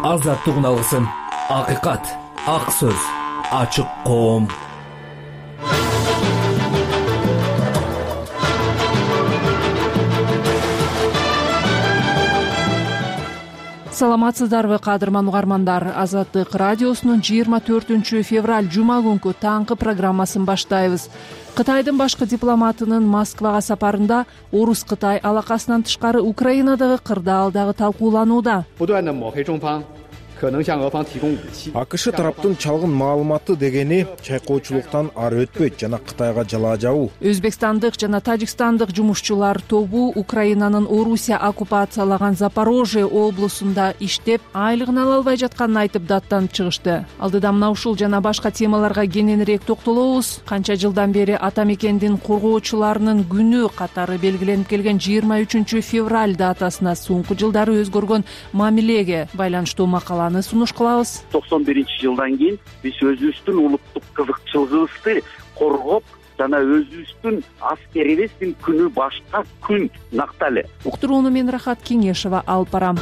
азаттыгын алгысың. Акыйкат, ак сөз, ачык коом. Саламатсыздарбы, кадырман угармандар. Азаттык радиосунун 24 февраль жума күнкү таңкы программасын баштайбыз. Кытайдын башкы дипломатынын Москвага сапарында Орус-Кытай алакасынан тышкары Украинадагы кырдаал дагы талкууланууда. АКШ тараптын чалгын маалыматы дегени чайкоочулуктан ары өтпөйт жана Кытайга жалаа жабуу. Өзбекстандык жана тажикстандык жумушчулар тобу Украинанын Орусия оккупациялаган Запорожье облусунда иштеп, айлыгын ала албай жатканын айтып даттанып чыгышты. Алдыда мына ушул жана башка темаларга кененирээк токтолобуз. Канча жылдан бери ата мекендин коргоочуларынын күнү катары белгиленип келген 23 февраль датасына соңку жылдары өзгөргөн мамилеге байланыштуу макаланы сунуш кылабыз. 91-жылдан кийин биз өзүбүздүн улуттук кызыкчылыгыбызды коргоп жана өзүбүздүн аскерибиздин күнү башка күн накталы. Уктурууну мен Рахат Кеңешова алып барам.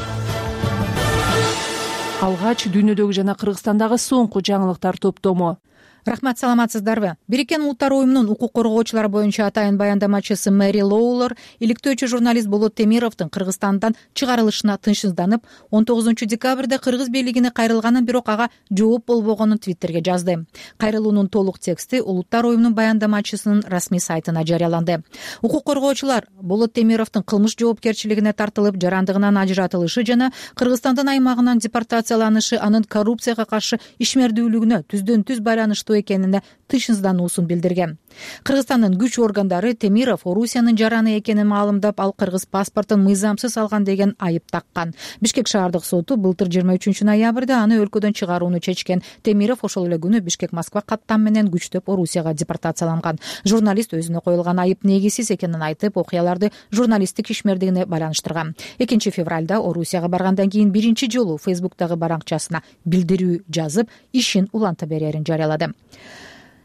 Алгач дүйнөдөгү жана Кыргызстандагы соңку жаңылыктар топтому. Рахмат, саламатсыздарбы? Бириккен Улуттар уюмунун укук коргоочулар боюнча атайын баяндамачысы Мэри Лоулер иликтөөчү журналист Болот Темировдун Кыргызстандан чыгарылышына тынчсызданып, 19 декабрда кыргыз бийлигине кайрылганын, бирок ага жооп болбогонун Твиттерге жазды. Кайрылуунун толук тексти Улуттар уюмунун баяндамачысынын расмий сайтына жарыяланды. Укук коргоочулар Болот Темировдун кылмыш жоопкерчилигине тартылып, жарандыгынан ажыратылышы жана Кыргызстандын аймагынан депортацияланышы анын коррупцияга каршы ишмердүүлүгүнө түздөн-түз байланыштуу экенине тынчсыздануусун билдирген. Кыргызстандын күч органдары Темиров Орусиянын жараны экенин маалымдап, ал кыргыз паспортун мыйзамсыз алган деген айып таккан. Бишкек шаардык соту былтыр 23 ноябрда аны өлкөдөн чыгарууну чечкен. Темиров ошол эле күнү Бишкек-Москва каттам менен күчтөп Орусияга депортацияланган. Журналист өзүнө коюлган айып негизсиз экенин айтып, окуяларды журналисттик ишмердигине байланыштырган. 2 февралда Орусияга баргандан кийин биринчи жолу Фейсбуктагы баракчасына билдирүү жазып, ишин уланта берерин жарыялады.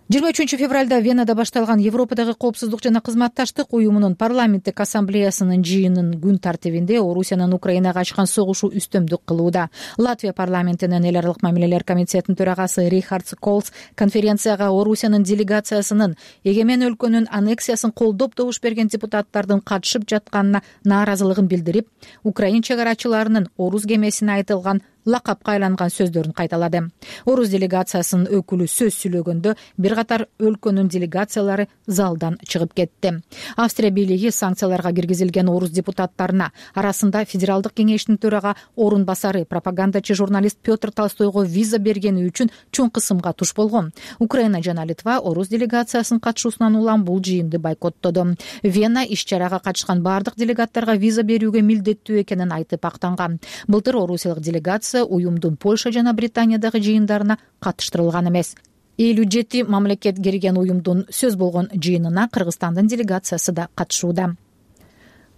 23 февралда Венада башталган Европадагы коопсуздук жана кызматташтык уюмунун парламенттик ассамблеясынын жыйынын күн тартибинде Орусиянын Украинага ачкан согушу үстөмдүк кылууда. Латвия парламентинин эл аралык мамилелер комитетинин төрагасы Рихард Колс конференцияга Орусиянын делегациясынын эгемен өлкөнүн аннексиясын колдоп добуш берген депутаттардын катышып жатканына нааразылыгын билдирип, Украин чыгарачыларынын Орус кемесине айтылган лакапка айланган сөздөрүн кайталады. Орус делегациясынын өкүлү сөз сүйлөгөндө бир катар өлкөнүн делегациялары залдан чыгып кетти. Австрия бийлиги санкцияларга киргизилген орус депутаттарына, арасында Федералдык кеңештин төрага орун басары пропагандачы журналист Петр Толстойго виза бергени үчүн чоң кысымга туш болгон. Украина жана Литва орус делегациясынын катышуусунан улам бул жыйынды бойкоттоду. Вена иш-чарага катышкан бардык делегаттарга виза берүүгө милдеттүү экенин айтып актанган. Былтыр орусиялык делегация уюмдун Польша жана Британиядагы жыйындарына катыштырылган эмес. 57 мамлекет кирген уюмдун сөз болгон жыйынына Кыргызстандын делегациясы да катышууда.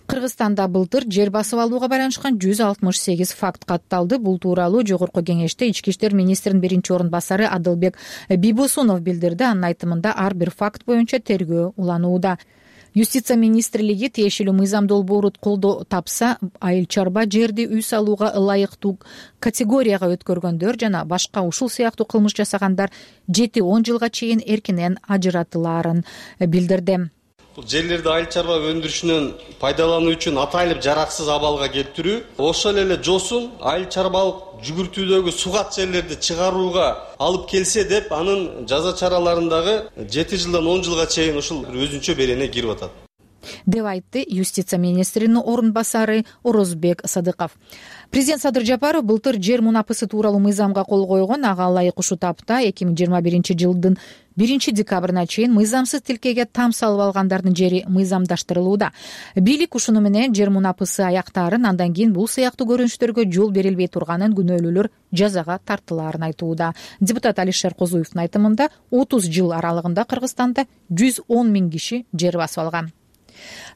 Кыргызстанда былтыр жер басып алууга байланышкан 168 факт катталды. Бул тууралуу Жогорку кеңеште Ички иштер министринин биринчи орун басары Адылбек Бибосунов билдирди. Анын айтымында ар бир факт боюнча тергөө уланууда. Юстиция министрлиги тиешелүү мыйзам долбоору колдоо тапса, айыл чарба жерди үй салууга ылайыктуу категорияга өткөргөндөр жана башка ушул сыяктуу кылмыш жасагандар 7-10 жылга чейин эркинен ажыратылаарын билдирди. Жерлерди айыл чарба өндүрүшүнөн пайдалануу үчүн атайлып жараксыз абалга келтирүү, ошол эле жосун айыл чарбалык жүгүртүүдөгү сугат жерлерди чыгарууга алып келсе деп, анын жаза чараларындагы 7 жылдан 10 жылга чейин ушул өзүнчө берене кирип атат деп айтты юстиция министринин орун басары Орозбек Садыков. Президент Садыр Жапаров былтыр жер мунапысы тууралуу мыйзамга кол койгон. Ага ылайык ушул тапта 2021 жылдын 1 декабрына чейин мыйзамсыз тилкеге там салып алгандардын жери мыйзамдаштырылууда. Бийлик ушуну менен жер мунапысы аяктаарын, андан кийин бул сыяктуу көрүнүштөргө жол берилбей турганын, күнөөлүүлөр жазага тартылаарын айтууда. Депутат Алишер Козуевдин айтымында 30 жыл аралыгында Кыргызстанда 110 000 киши жер басып алган.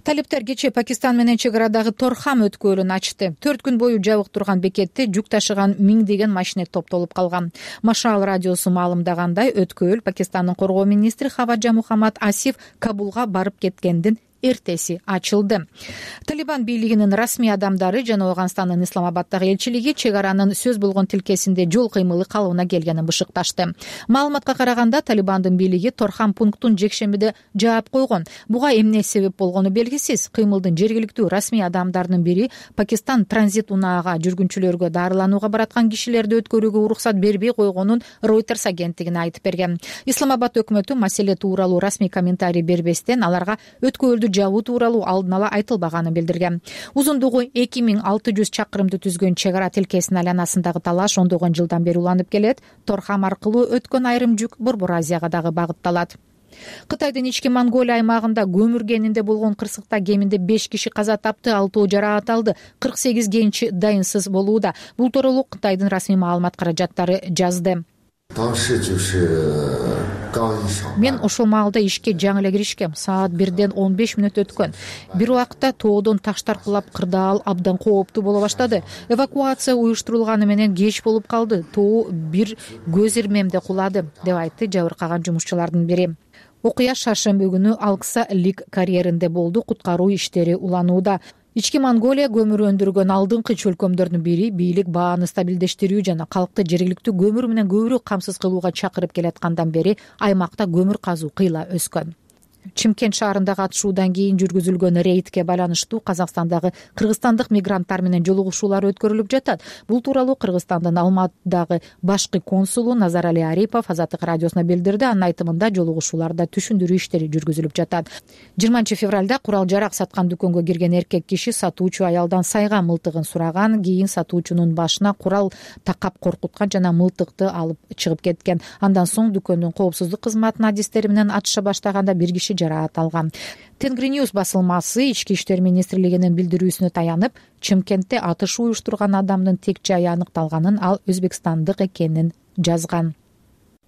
Талиптер кечээ Пакистан менен чек арадагы Торхам өткөөлүн ачты. 4 күн бою жабык турган бекетте жүк ташыган миңдеген машина топтолуп калган. Машал радиосу маалымдагандай, өткөөл Пакистандын коргоо министри Хаваджа Мухаммад Асиф Кабулга барып кеткендин эртеси ачылды. Талибан бийлигинин расмий адамдары жана Ооганстандын Исламабаддагы элчилиги чек аранын сөз болгон тилкесинде жол кыймылы калыбына келгенин бышыкташты. Маалыматка караганда Талибандын бийлиги Торхан пунктун жекшембиде жаап койгон. Буга эмне себеп болгону белгисиз. Кыймылдын жергиликтүү расмий адамдарынын бири Пакистан транзит унаага жүргүнчүлөргө дарыланууга бараткан кишилерди өткөрүүгө уруксат бербей койгонун Reuters агенттигине айтып берген. Исламабад өкмөтү маселе тууралуу расмий комментарий бербестен аларга өткөлдү жабуу тууралуу алдын ала айтылбаганын билдирген. Узундугу 2600 чакырымды түзгөн чек ара тилкесинин айланасындагы талаш ондогон жылдан бери уланып келет. Торхам аркылуу өткөн айрым жүк Борбор Азияга дагы багытталат. Кытайдын ички Монголия аймагында көмүр кенинде болгон кырсыкта кеминде 5 киши каза тапты, 6 жараат алды, 48 кенчи дайынсыз болууда. Бул тууралуу Кытайдын расмий маалымат каражаттары жазды. Мен ошол маалда ишке жаңы эле киришкем. Саат 1ден 15 мүнөт өткөн. Бир убакта тоодон таштар кулап кырдаал абдан кооптуу боло баштады. Эвакуация уюштурулганы менен кеч болуп калды. Тоо бир көз ирмемде кулады, деп айтты жабыркаган жумушчулардын бири. Окуя шаршемби күнү Алкса Лик карьеринде болду. Куткаруу иштери уланууда. Ички Монголия көмүр өндүргөн алдыңкы чөлкөмдөрдүн бири бийлик бааны стабилдештирүү жана калкты жергиликтүү көмүр менен көбүрөөк камсыз кылууга чакырып келаткандан бери аймакта көмүр казуу кыйла өскөн. Чимкент шаарындагы атышуудан кийин жүргүзүлгөн рейдке байланыштуу Казакстандагы кыргызстандык мигранттар менен жолугушуулар өткөрүлүп жатат. Бул тууралуу Кыргызстандын Алматыдагы башкы консулу Назарали Арипов Азаттык радиосуна билдирди. Анын айтымында жолугушууларда түшүндүрүү иштери жүргүзүлүп жатат. 20-февралда курал жарак саткан дүкөнгө кирген эркек киши сатуучу аялдан сайга мылтыгын сураган. Кийин сатуучунун башына курал такап коркуткан жана мылтыкты алып чыгып кеткен. Андан соң дүкөндүн коопсуздук кызматынын адистери менен атыша баштаганда бир киши жараат алган. Тенгриньюз басылмасы Ички иштер министрлигинин билдирүүсүнө таянып, Чымкентте атыш уюштурган адамдын тек жайы аныкталганын, ал өзбекстандык экенин жазган.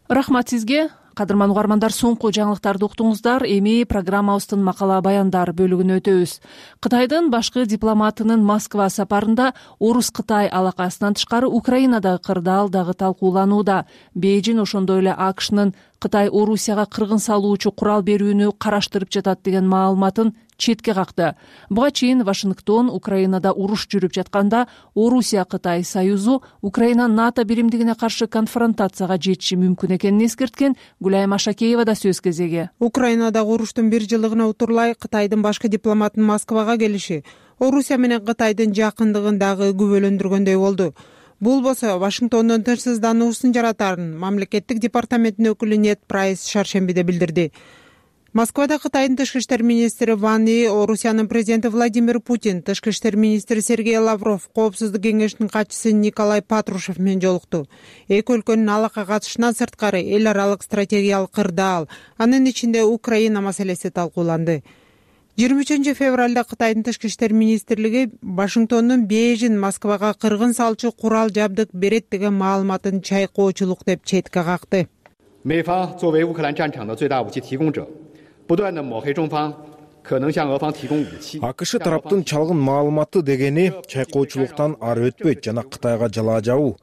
Рахмат сизге. Кадырман угармандар, соңку жаңылыктарды уктуңуздар. Эми программабыздын макала баяндар бөлүгүнө өтөбүз. Кытайдын башкы дипломатынын Москва сапарында Орус-Кытай алакасынан тышкары Украинадагы кырдаал дагы талкууланууда. Бейжин ошондой эле АКШнын Кытай Орусияга кыргын салуучу курал берүүнү караштырып жатат деген маалыматын четке какты. Буга чейин Вашингтон Украинада уруш жүрүп жатканда Орусия-Кытай союзу Украина НАТО биримдигине каршы конфронтацияга жетиши мүмкүн экенин эскерткен. Гүлайым Ашакеева да сөз кезеги. Украинадагы уруштун 1 жылдыгына утурлай Кытайдын башкы дипломатынын Москвага келиши Орусия менен Кытайдын жакындыгын дагы күбөлөндүргөндөй болду. Бул болсо Вашингтондун тынчсыздануусун жаратарын мамлекеттик департаментинин өкүлү Нет Прайс шаршембиде билдирди. Москвада Кытайдын тышкы иштер министри Ван И, Орусиянын президенти Владимир Путин, тышкы иштер министри Сергей Лавров, коопсуздук кеңешинин катчысы Николай Патрушев менен жолукту. Эки өлкөнүн алака катышынан сырткары эл аралык стратегиялык кырдаал, анын ичинде Украина маселеси талкууланды. 23-февралда Кытайдын тышкы иштер министрлиги Вашингтондун Бейжин Москвага кыргын салчу курал жабдык берет деген маалыматын чайкоочулук деп четке какты. 美方作为乌克兰战场的最大武器提供者，不断地抹黑中方可能向俄方提供武器。 АКШ тараптын чалгын маалыматы дегени чайкоочулуктан ары өтпөйт жана Кытайга жалаа жабуу.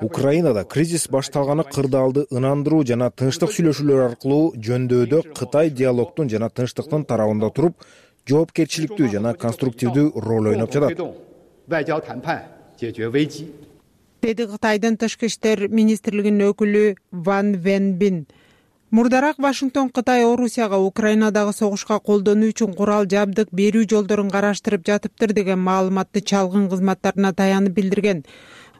Украинада кризис башталганы кырдаалды ынандыруу жана тынчтык сүйлөшүүлөр аркылуу жөндөодө Кытай диалогдун жана тынчтыктын тарабында туруп, жоопкерчиликтүү жана конструктивдүү роль ойноп жатат. 外交谈判解决危机。 деди Кытайдын тышкы иштер министрлигинин өкүлү Ван Венбин. Мурдараак Вашингтон Кытай Орусияга Украинадагы согушка колдонуу үчүн курал жабдык берүү жолдорун караштырып жатыптыр деген маалыматты чалгын кызматтарына таянып билдирген.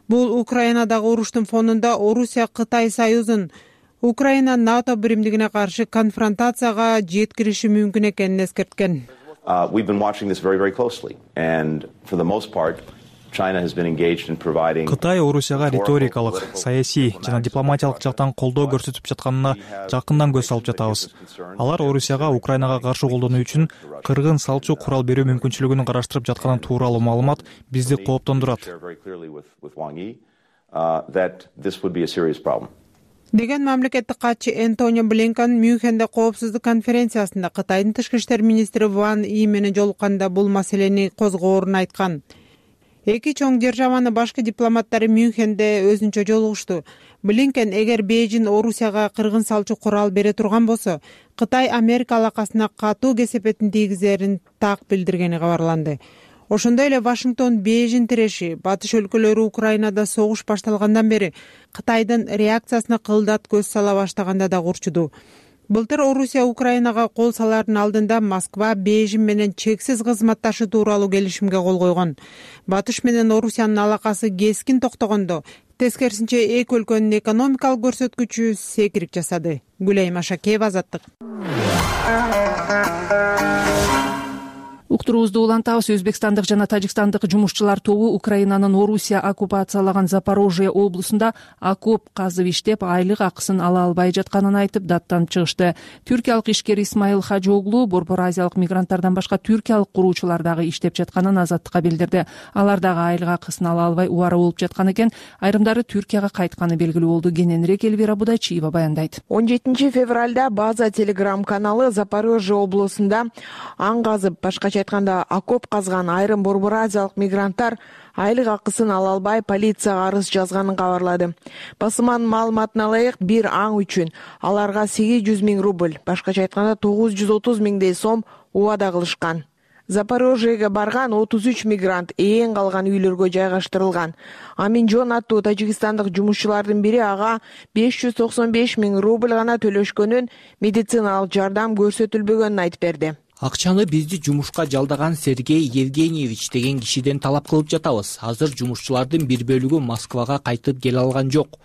Бул Украинадагы уруштун фонунда Орусия Кытай союзун Украина НАТО биримдигине каршы конфронтацияга жеткириши мүмкүн экенин эскерткен. We've been watching this very, very closely, and for the most part, China has been engaged in providing. Кытай Орусияга риторикалык, саясий жана дипломатиялык жактан колдоо көрсөтүп жатканына жакындан көз салып жатабыз. Алар Орусияга Украинага каршы колдонуу үчүн кыргын салчу курал берүү мүмкүнчүлүгүн караштырып жатканы тууралуу маалымат бизди кооптондурат. Деген мамлекеттик катчы Энтони Блинкен Мюнхенде коопсуздук конференциясында Кытайдын тышкы иштер министри Ван И менен жолукканда бул маселени козгоорун айткан. Эки чоң державанын башкы дипломаттары Мюнхенде өзүнчө жолугушту. Блинкен эгер Бейжин Орусияга кыргын салчу курал бере турган болсо, Кытай Америка алакасына катуу кесепетин тийгизерин так билдиргени кабарланды. Ошондой эле Вашингтон Бейжин тиреши батыш өлкөлөрү Украинада согуш башталгандан бери Кытайдын реакциясына кылдат көз сала баштаганда да курчуду. Былтыр Орусия Украинага кол салаардын алдында Москва Бейжин менен чексиз кызматташы тууралуу келишимге кол койгон. Батыш менен Орусиянын алакасы кескин токтогондо, тескерисинче эки өлкөнүн экономикалык көрсөткүчү секирип жасады. Гүлайым Ашакеева, Азаттык. Уктуруубузду улантабыз. Өзбекстандык жана тажикстандык жумушчулар тобу Украинанын Орусия оккупациялаган Запорожье облусунда окоп казып иштеп, айлык акысын ала албай жатканын айтып даттанып чыгышты. Түркиялык ишкер Исмаил Хажоглу Борбор Азиялык мигранттардан башка түркиялык куруучулар дагы иштеп жатканын Азаттыкка билдирди. Алар дагы айлык акысын ала албай убара болуп жаткан экен. Айрымдары Түркияга кайтканы белгилүү болду. Кененирээк Элвира Будайчиева баяндайт. 17 февралда База телеграм каналы Запорожье облусунда аң казып, башкача айтканда окоп казган айрым Борбор Азиялык мигранттар айлык акысын ала албай полицияга арыз жазганын кабарлады. Басманын маалыматына ылайык, бир аң үчүн аларга 800 000 рубль, башкача айтканда 930 000 сом убада кылышкан. Запорожьеге барган 33 мигрант ээн калган үйлөргө жайгаштырылган. Аминжон аттуу тажикстандык жумушчулардын бири ага 595 000 рубль гана төлөшкөнүн, медициналык жардам көрсөтүлбөгөнүн айтып берди. Акчаны бизди жумушка жалдаган Сергей Евгеньевич деген кишиден талап кылып жатабыз. Азыр жумушчулардын бир бөлүгү Москвага кайтып келе алган жок.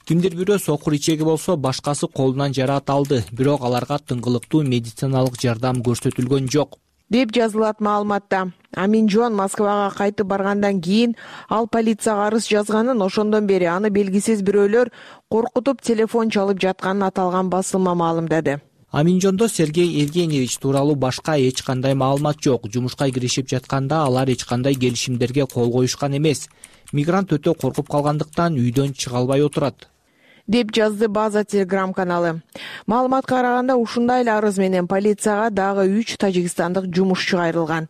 Кимдир бирөө сокур ичеги болсо, башкасы колунан жараат алды, бирок аларга тыңгылыктуу медициналык жардам көрсөтүлгөн жок, деп жазылат маалыматта. Аминжон Москвага кайтып баргандан кийин ал полицияга арыз жазганын, ошондон бери аны белгисиз бирөөлөр коркутуп телефон чалып жатканын аталган басылма маалымдады. Аминжондо Сергей Евгеньевич тууралуу башка эч кандай маалымат жок. Жумушка киришип жатканда алар эч кандай келишимдерге кол коюшкан эмес. Мигрант өтө коркуп калгандыктан үйдөн чыга албай отурат, деп жазды База телеграм каналы. Маалыматка караганда, ушундай эле арыз менен полицияга дагы 3 тажикстандык жумушчу кайрылган.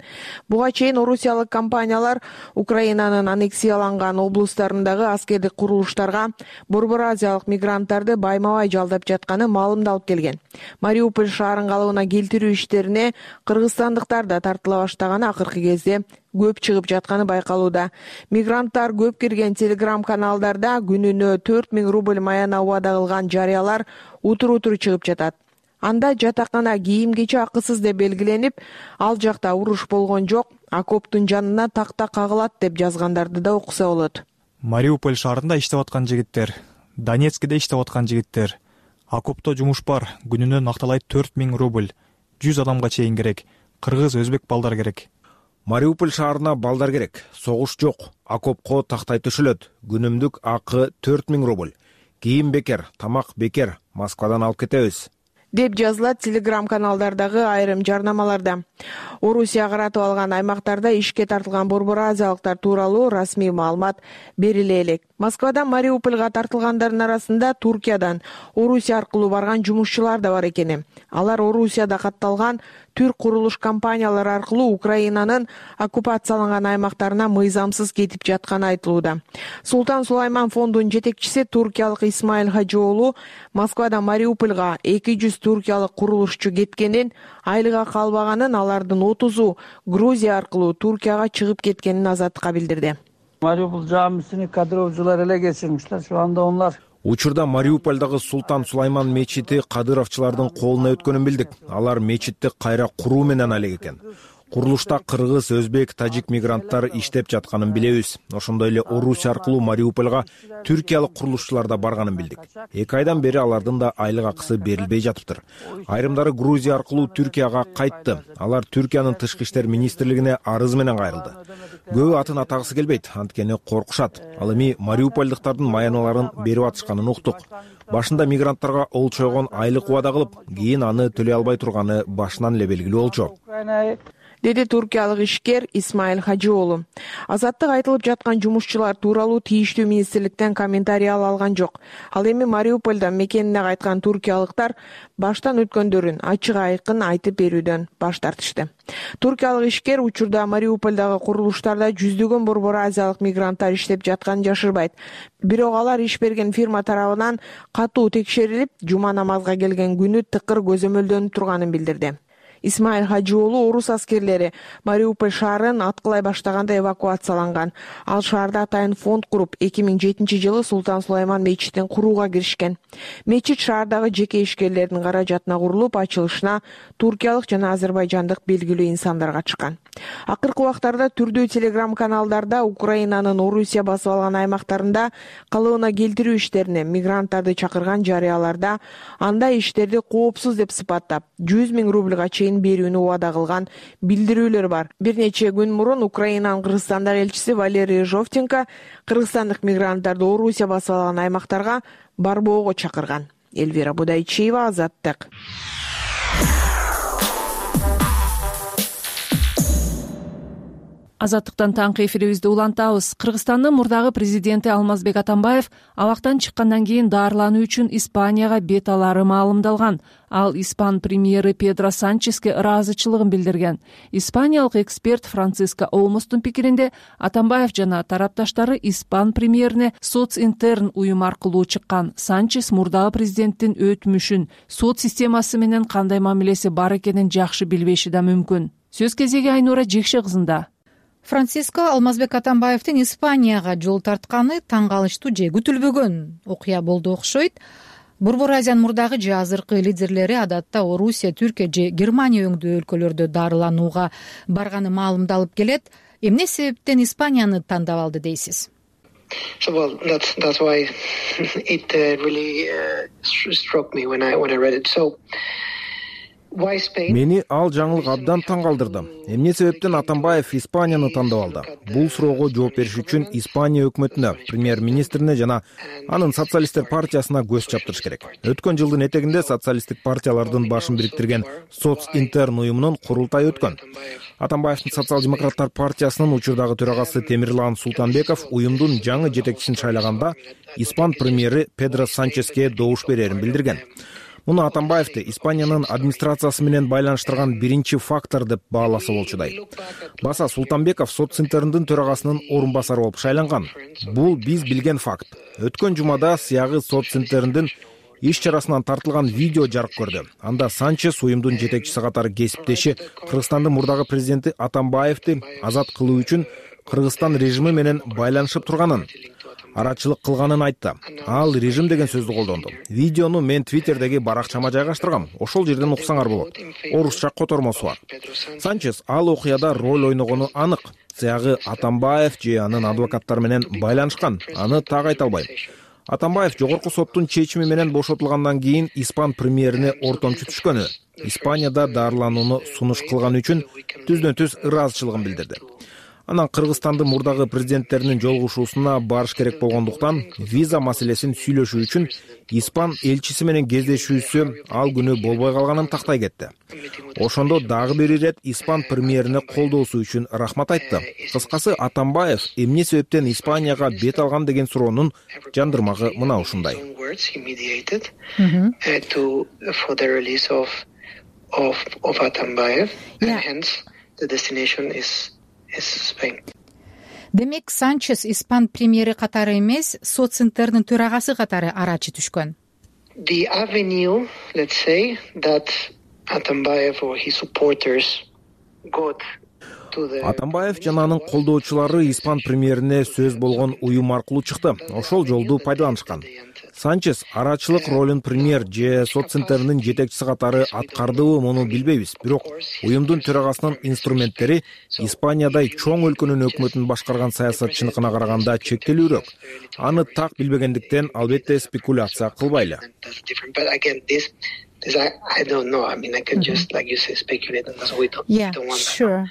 Буга чейин орусиялык компаниялар Украинанын аннексияланган облустарындагы аскердик курулуштарга Борбор Азиялык мигранттарды байма-бай жалдап жатканы маалымдалып келген. Мариуполь шаарын калыбына келтирүү иштерине кыргызстандыктар да тартыла баштаганы акыркы кезде көп чыгып жатканы байкалууда. Мигранттар көп кирген телеграм каналдарда күнүнө 4 000 рубль маяна убада кылган жарыялар утур-утур чыгып жатат. Анда жатакана, кийим-кечи акысыз деп белгиленип, ал жакта уруш болгон жок, окоптун жанына такта кагылат деп жазгандарды да окуса болот. Мариуполь шаарында иштеп аткан жигиттер, Донецкиде иштеп аткан жигиттер. Окопто жумуш бар, күнүнө акталай 4 000 рубль, 100 адамга чейин керек. Кыргыз, өзбек балдар керек. Мариуполь шаарына балдар керек. Согуш жок. Окопко тактай төшөлөт. Күнүмдүк акы 4 000 рубль. Кийим бекер, тамак бекер. Москвадан алып кетебиз, деп жазылат телеграм каналдардагы айрым жарнамаларда. Орусия каратып алган аймактарда ишке тартылган Борбор Азиялыктар тууралуу расмий маалымат бериле элек. Москвадан Мариупольга тартылгандардын арасында Туркиядан Орусия аркылуу барган жумушчулар да бар экен. Алар Орусияда катталган түрк курулуш компаниялары аркылуу Украинанын оккупацияланган аймактарына мыйзамсыз кетип жатканы айтылууда. Султан Сулайман фондунун жетекчиси туркиялык Исмаил Хажоглу Москвадан Мариупольга 200 туркиялык курулушчу кеткенин, айлыга калбаганын, алардын 30-у Грузия аркылуу Туркияга чыгып кеткенин Азаттыкка билдирди. Мариуполь жамисини кадыровчулар эле кечирмиштер. Şu anda onlar Учурда Мариупольдагы Султан Сулайман мечити кадыровчулардын колуна өткөнүн билдик. Алар мечитти кайра куруу менен алек экен. Курулушта кыргыз, өзбек, тажик мигранттар иштеп жатканын билебиз. Ошондой эле Орусия аркылуу Мариупольга түркиялык курулушчулар да барганын билдик. 2 айдан бери алардын да айлык акысы берилбей жатыптыр. Айрымдары Грузия аркылуу Түркияга кайтты. Алар Түркиянын тышкы иштер министрлигине арыз менен кайрылды. Көбү атын атагысы келбейт, анткени коркушат. Ал эми мариупольдуктардын маяналарын берип атышканын уктук. Башында мигранттарга олчойгон айлык убада кылып, кийин аны төлөй албай турганы башынан эле белгилүү болчу. деди туркиялык ишкер Исмаил Хажиоğlu. Азаттык айтылып жаткан жумушчулар тууралуу тийиштүү министрликтен комментарий ала алган жок. Ал эми Мариупольдо мекенине кайткан туркиялыктар баштан өткөндөрүн ачык айкын айтып берүүдөн баш тартышты. Туркиялык ишкер учурда Мариупольдогу курулуштарда жүздөгөн борбор азиялык мигранттар иштеп жатканын жашырбайт. Бирок алар иш берген фирма тарабынан катуу текшерилип, жума намазга келген күнү тыкыр көзөмөлдөнүп турганын билдирди. Исмаил Хажиоğlu орус аскерлери Мариуполь шаарын аткылай баштаганда эвакуацияланган. Ал шаарда атайын фонд куруп, 2007-жылы Султан Сулайман мечитин курууга киришкен. Мечит шаардагы жеке ишкерлердин каражатына курулуп, ачылышына туркиялык жана азербайжандык белгилүү инсандар катышкан. Акыркы убактарда түрдүү телеграм-каналдарда Украинанын Орусия басып алган аймактарында калыбына келтирүү иштерине мигранттарды чакырган жарыяларда андай иштерди коопсуз деп сыпаттап 100 000 рубльга чейин берүүнү убада кылган билдирүүлөр бар. Бир нече күн мурун Украинанын Кыргызстандагы элчиси Валерий Жовтенко кыргызстандык мигранттарды Орусия басып алган аймактарга барбоого чакырган. Эльвира Будайчиева, Азаттык. Азаттыктан таңкы эфирибизди улантабыз. Кыргызстандын мурдагы президенти Алмазбек Атамбаев абактан чыккандан кийин даарылануу үчүн Испанияга бет алары маалымдалган. Ал Испан премьери Педро Санческе ыраазычылыгын билдирген. Испаниялык эксперт Франциско Олмостун пикиринде Атамбаев жана тарапташтары Испан премьерине социнтерн уюм аркылуу чыккан. Санчес мурдагы президенттин өтмүшүн, сот системасы менен кандай мамилеси бар экенин жакшы билбеши да мүмкүн. Сөз кезеги Айнура Жекше кызында. Франциско Алмазбек Атамбаевдин Испанияга жол тартканы таң калыштуу же күтүлбөгөн окуя болду окшойт. Борбор Азиянын мурдагы же азыркы лидерлери адатта Орусия, Түркия же Германия өңдүү өлкөлөрдө даарыланууга барганы маалымдалып келет. Эмне себептен Испанияны тандап алды дейсиз? Well, that's why it really struck me when I read it. So Мени ал жаңылык абдан таң калтырды. Эмне себептен Атамбаев Испанияны тандап алды? Бул суроого жооп бериш үчүн Испания өкмөтүнө, премьер-министрине жана анын социалисттер партиясына көз чаптырыш керек. Өткөн жылдын этегинде социалисттик партиялардын башын бириктирген социнтерн уюмунун курултайы өткөн. Атамбаевдин социал-демократтар партиясынын учурдагы төрагасы Темирлан Султанбеков уюмдун жаңы жетекчисин шайлаганда Испан премьери Педро Санческе добуш берерин билдирген. Муну Атамбаевди Испаниянын администрациясы менен байланыштырган биринчи фактор деп бааласа болчудай. Баса Султанбеков социнтерндин төрагасынын орун басары болуп шайланган. Бул биз билген факт. Өткөн жумада сыягы социнтерндин иш чарасынан тартылган видео жарык көрдү. Анда Санчес уюмдун жетекчиси катары кесиптеши Кыргызстандын мурдагы президенти Атамбаевди азат кылуу үчүн Кыргызстан режими менен байланышып турганын, арачылык кылганын айтты. Ал режим деген сөздү колдонду. Видеону мен Твиттердеги баракчама жайгаштыргам. Ошол жерден уксаңар болот. Орусча котормосу бар. Санчес ал окуяда роль ойногону анык. Сыягы Атамбаев же анын адвокаттары менен байланышкан. Аны так айта албайм. Атамбаев жогорку соттун чечими менен бошотулгандан кийин Испан премьерине ортомчу түшкөнү. Испанияда даарыланууну сунуш кылган үчүн түздөн-түз ыраазычылыгын билдирди. Анан Кыргызстандын мурдагы президенттеринин жолугушуусуна барыш керек болгондуктан виза маселесин сүйлөшүү үчүн Испан элчиси менен кездешүүсү ал күнү болбой калганын тактай кетти. Ошондо дагы бир ирет Испан премьерине колдоосу үчүн рахмат айтты. Кыскасы Атамбаев эмне себептен Испанияга бет алган деген суроонун жандырмагы мына ушундай. Демек, Санчес Испан премьери катары эмес, социнтердин төрагасы катары арачы түшкөн. The avenue, let's say, that Atambayev or his supporters got to the Атамбаев жана анын колдоочулары Испан премьерине сөз болгон уюм аркылуу чыкты. Ошол жолду пайдаланышкан. Санчес арачылык ролун премьер же социнтердин жетекчиси катары аткардыбы муну билбейбиз. Бирок уюмдун төрагасынын инструменттери Испаниядай чоң өлкөнүн өкмөтүн башкарган саясатчыныкына караганда чектелүүрөөк. Аны так билбегендиктен албетте спекуляция кылбайлы. I don't know. I mean, I can just, like you say, speculate on this. We don't want that. Sure.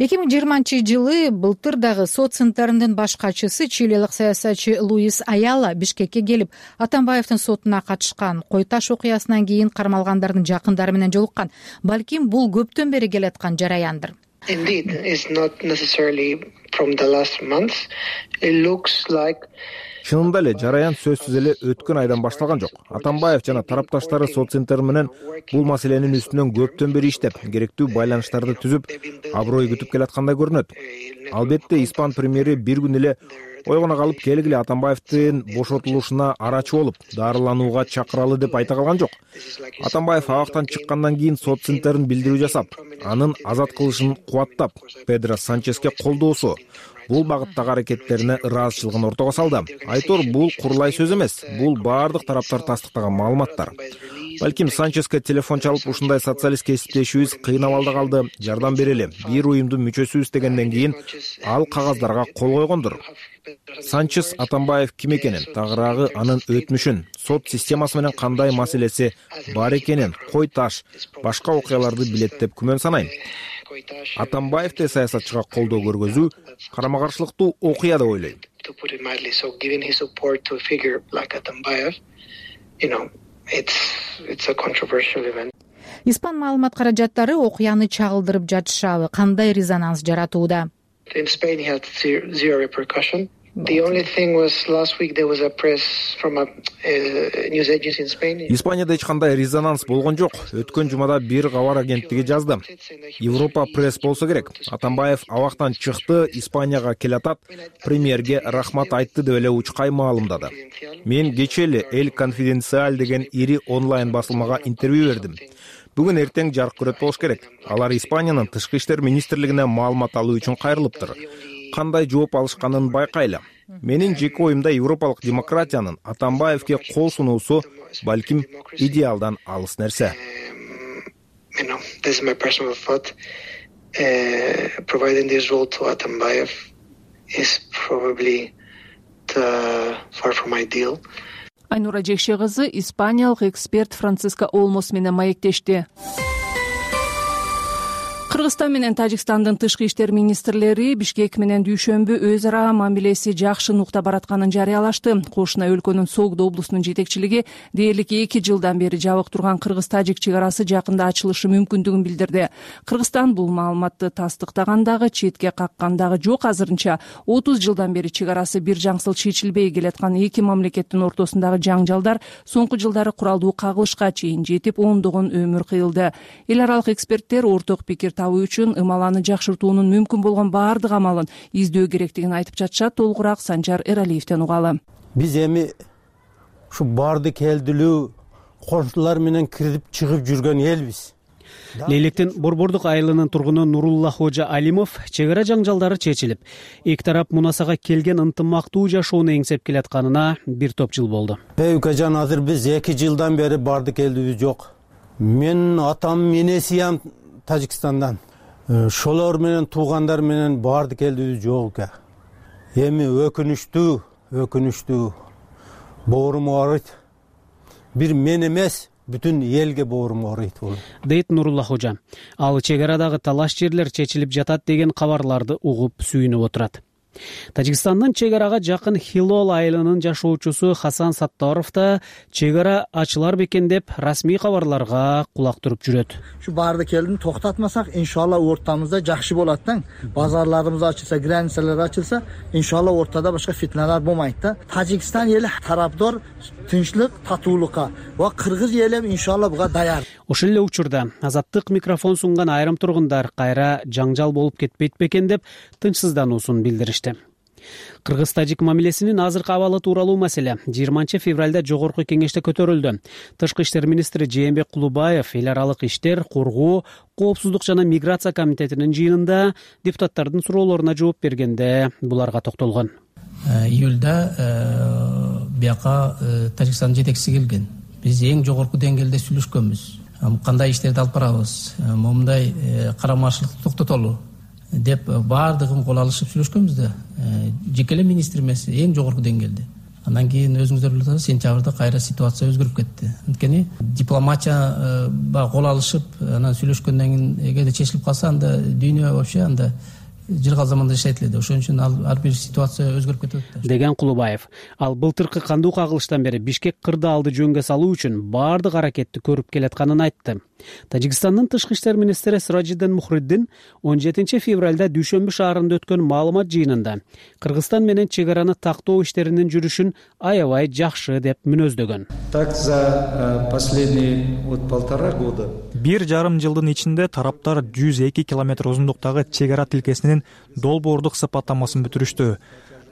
2020-жылы былтыр дагы социнтерндин баш катчысы чилиялык саясатчы Луис Аяла Бишкекке келип, Атамбаевдин сотуна катышкан. Кой таш окуясынан кийин кармалгандардын жакындары менен жолуккан. Балким бул көптөн бери келаткан жараяндыр. Indeed, it's not necessarily from the last month. It looks like Чынында эле жараян сөзсүз эле өткөн айдан башталган жок. Атамбаев жана тарапташтары соццентр менен бул маселенин үстүнөн көптөн бери иштеп, керектүү байланыштарды түзүп, аброй күтүп келаткандай көрүнөт. Албетте, испан премьери бир күн эле ойгоно калып келгиле Атамбаевдин бошотулушуна арачы болуп, дарыланууга чакыралы деп айта калган жок. Атамбаев абактан чыккандан кийин соццентрдин билдирүү жасап, анын азат кылышын кубаттап, Педро Санческе колдоосу, бул багыттагы аракеттерине ыраазычылыгын ортого салды. Айтор, бул курулай сөз эмес, бул баардык тараптар тастыктаган маалыматтар. Балким Санческе телефон чалып, ушундай социалист кесиптешибиз кыйын абалда калды, жардам берели, бир уюмдун мүчөсүбүз дегенден кийин ал кагаздарга кол койгондур. Санчес Атамбаев ким экенин, тагыраагы анын өтмүшүн, сот системасы менен кандай маселеси бар экенин, кой таш, башка окуяларды билет деп күмөн санайм. Атамбаевди саясатчыга колдоо көргөзүү карама каршылыктуу окуя деп ойлойм. Испан маалымат каражаттары окуяны чагылдырып жатышабы, кандай резонанс жаратууда? In Spain, he had zero repercussion. The only thing was last week there was a press from a news agency in Spain. Испанияда эч кандай резонанс болгон жок. Өткөн жумада бир кабар агенттиги жазды. Европа пресс болсо керек. Атамбаев абактан чыкты, Испанияга келатат, премьерге рахмат айтты деп эле учкай маалымдады. Мен кече эле El Confidencial деген ири онлайн басылмага интервью бердим. Бүгүн эртең жарык көрөт болуш керек. Алар Испаниянын тышкы иштер министрлигине маалымат алуу үчүн кайрылыптыр. Кандай жооп алышканын байкайлы. Менин жеке оюмда европалык демократиянын Атамбаевге кол сунуусу балким идеалдан алыс нерсе. This is my personal thought. Providing this role to Atambayev is probably far from ideal. Айнура Жекше кызы испаниялык эксперт Франциско Олмос менен маектешти. Кыргызстан менен Тажикстандын тышкы иштер министрлери Бишкек менен дүйшөмбү өз ара мамилеси жакшы нукта баратканын жарыялашты. Кошуна өлкөнүн Согдо облусунун жетекчилиги дээрлик 2 жылдан бери жабык турган Кыргыз-Тажик чек арасы жакында ачылышы мүмкүндүгүн билдирди. Кыргызстан бул маалыматты тастыктагандагы, четке каккандагы жок. Азырынча 30 жылдан бери чек арасы бир жаңсыл чечилбей келаткан эки мамлекеттин ортосундагы жаңжалдар соңку жылдары куралдуу кагылышка чейин жетип, ондогон өмүр кыйылды. Эл аралык эксперттер орток пикир табуу үчүн ымаланы жакшыртуунун мүмкүн болгон баардык амалын издөө керектигин айтып жатышат. Толугураак Санжар Эралиевден угалы. Биз эми ушу барды келдилүү коңшулар менен кирип чыгып жүргөн элбиз. Лейлектин Борбордук айылынын тургуну Нурулла Хожа Алимов чек ара жаңжалдары чечилип, эки тарап мунасага келген ынтымактуу жашоону эңсеп келатканына бир топ жыл болду. Укажан, азыр биз 2 жылдан бери барды келдибиз жок. Мен атам энесиям Тажикстандан. Шолор менен туугандар менен барды келдибиз жок. Эми өкүнүчтүү боорум ооруйт. Бир мен эмес, бүтүн элге боорум ооруйт бул. Дейт Нурулла Хожа. Ал чек арадагы талаш жерлер чечилип жатат деген кабарларды угуп сүйүнүп отурат. Тажикстандын чек арага жакын Хилол айылынын жашоочусу Хасан Саттаров да чек ара ачылар бекен деп расмий кабарларга кулак туруп жүрөт. Şu барды келдин токтотмасак, иншалла ортамызда жакшы болот да. Базарларыбыз ачылса, границалар ачылса, иншалла ортада башка фитналар болмайт да. Тажикстан эли тараптар тынчтык, татуулукка ва кыргыз эли иншалла буга даяр. Ошол эле учурда Азаттык микрофон сунган айрым тургундар кайра жаңжал болуп кетпейт бекен деп тынчсыздануусун билдиришти. Кыргыз-Тажик мамилесинин азыркы абалы тууралуу маселе 20 февралда жогорку кеңеште көтөрүлдү. Тышкы иштер министри Жээнбек Кулубаев эл аралык иштер, коргоо, коопсуздук жана миграция комитетинин жыйынында депутаттардын суроолоруна жооп бергенде буларга токтолгон. Июлда бияка Тажикстандын жетекчиси келген. Биз эң жогорку деңгээлде сүйлөшкөнбүз. Кандай иштерди алып барабыз, момундай карамарчылыкты токтотолу деп баардыгын кол алышып сүйлөшкөнбүз да. Жеке эле министр эмес, эң жогорку деңгээлде. Андан кийин өзүңүздөр билесиз, сентябрда кайра ситуация өзгөрүп кетти. Анткени дипломатия кол алышып, анан сүйлөшкөндөн кийин эгерде чечилип калса, анда дүйнө вообще анда жылган заманда жашайт эле да. Ошон үчүн ар бир ситуация өзгөрүп кетип атат деген Кулубаев. Ал былтыркы кандуу кагылыштан бери Бишкек кырдаалды жөнгө салуу үчүн баардык аракетти көрүп келатканын айтты. Тажикстандын тышкы иштер министри Сиражиддин Мухриддин 17 февралда Дүйшөмбү шаарында өткөн маалымат жыйынында Кыргызстан менен чек араны тактоо иштеринин жүрүшүн аябай жакшы деп мүнөздөгөн. Так за последние 1,5 года 1,5 жылдын ичинде тараптар 102 километр узундуктагы чек ара тилкесинин долбоордук сыпаттамасын бүтүрүштү.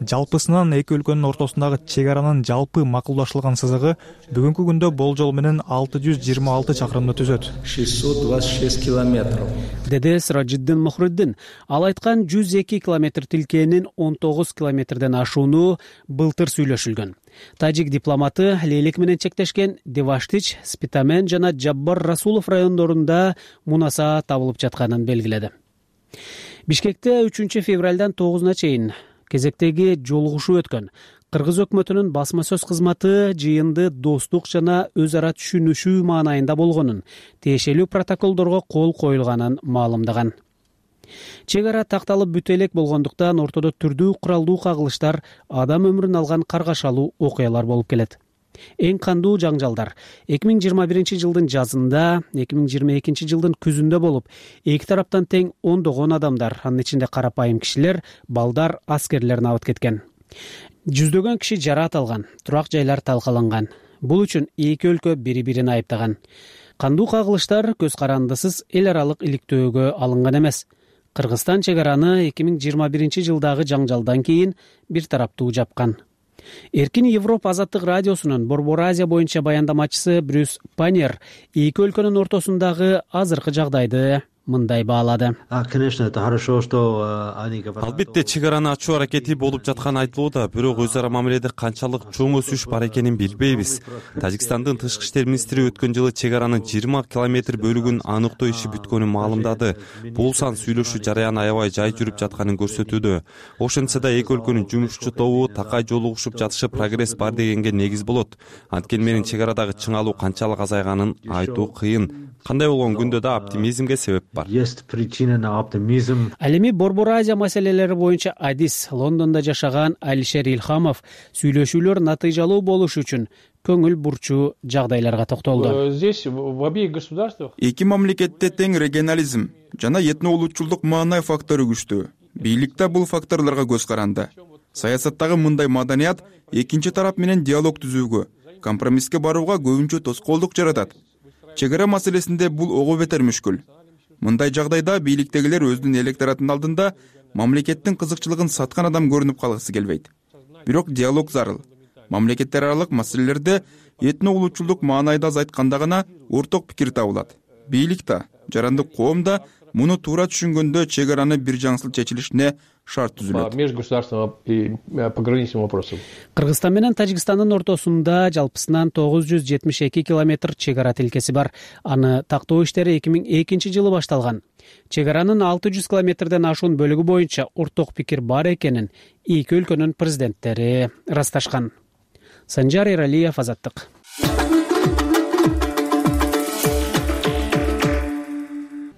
Жалпысынан эки өлкөнүн ортосундагы чек аранын жалпы макулдашылган сызыгы бүгүнкү күндө болжол менен 626 чакырымды түзөт. 626 километров. Деди Сиражиддин Мухриддин. Ал айткан 102 километр тилкенин 19 километрден ашууну былтыр сүйлөшүлгөн. Тажик дипломаты Лейлек менен чектешкен Деваштич, Спитамен жана Жаббар Расулов райондорунда мунаса табылып жатканын белгиледи. Бишкекте 3 февралдан 9 чейин кезектеги жолугушуу өткөн. Кыргыз өкмөтүнүн басма сөз кызматы жыйынды достук жана өз ара түшүнүшүү маанайында болгонун, тиешелүү протоколдорго кол коюлганын маалымдаган. Чек ара такталып бүтө элек болгондуктан ортодо түрдүү куралдуу кагылыштар, адам өмүрүн алган каргашалуу окуялар болуп келет. Эң кандуу жаңжалдар 2021 жылдын жазында, 2022 жылдын күзүндө болуп, эки тараптан тең ондогон адамдар, анын ичинде карапайым кишилер, балдар, аскерлер набыт кеткен. Жүздөгөн киши жараат алган, турак жайлар талкаланган. Бул үчүн эки өлкө бири-бирин айыптаган. Кандуу кагылыштар көз карандысыз эл аралык иликтөөгө алынган эмес. Кыргызстан чек араны 2021 жылдагы жаңжалдан кийин бир тараптуу жапкан. Эркин Европа азаттык радиосунун Борбор Азия боюнча баяндамачысы Брюс Панер эки өлкөнүн ортосундагы азыркы жагдайды мындай баалады. Албетте чек араны ачуу аракети болуп жатканы айтылууда, бирок өз ара мамиледе канчалык чоң өсүш бар экенин билбейбиз. Тажикстандын тышкы иштер министри өткөн жылы чек аранын 20 километр бөлүгүн аныктоо иши бүткөнүн маалымдады. Бул сан сүйлөшүү жараяны аябай жай жүрүп жатканын көрсөтүүдө. Ошентсе да эки өлкөнүн жумушчу тобу такай жолугушуп жатышы прогресс бар дегенге негиз болот. Анткени менин чек арадагы чыңалуу канчалык азайганын айтуу кыйын. Кандай болгон күндө да оптимизмге себеп бар. Ал эми Борбор Азия маселелери боюнча адис Лондондо жашаган Алишер Илхамов сүйлөшүүлөр натыйжалуу болуш үчүн көңүл бурчу жагдайларга токтолду. Здесь в обеих государствах эки мамлекетте тең регионализм жана этно улутчулдук маанай фактору күчтүү. Бийликте бул факторлорго көз каранды. Саясаттагы мындай маданият экинчи тарап менен диалог түзүүгө, компромисске барууга көбүнчө тоскоолдук жаратат. Чек ара маселесинде бул ого бетер мүшкүл. Мындай жагдайда бийликтегилер өзүнүн электоратын алдында мамлекеттин кызыкчылыгын саткан адам көрүнүп калгысы келбейт. Бирок диалог зарыл. Мамлекеттер аралык маселелерде этно улутчулдук маанайда азайтканда гана орток пикир табылат. Бийлик да, жарандык коом да муну туура түшүнгөндө чек араны бир жаңсыл чечилишине шарт түзүлөт. Кыргызстан менен Тажикстандын ортосунда жалпысынан 972 километр чек ара тилкеси бар. Аны тактоо иштери 2002 жылы башталган. Чек аранын 600 километрден ашуун бөлүгү боюнча орток пикир бар экенин эки өлкөнүн президенттери ырасташкан. Санжар Эралиев, Азаттык.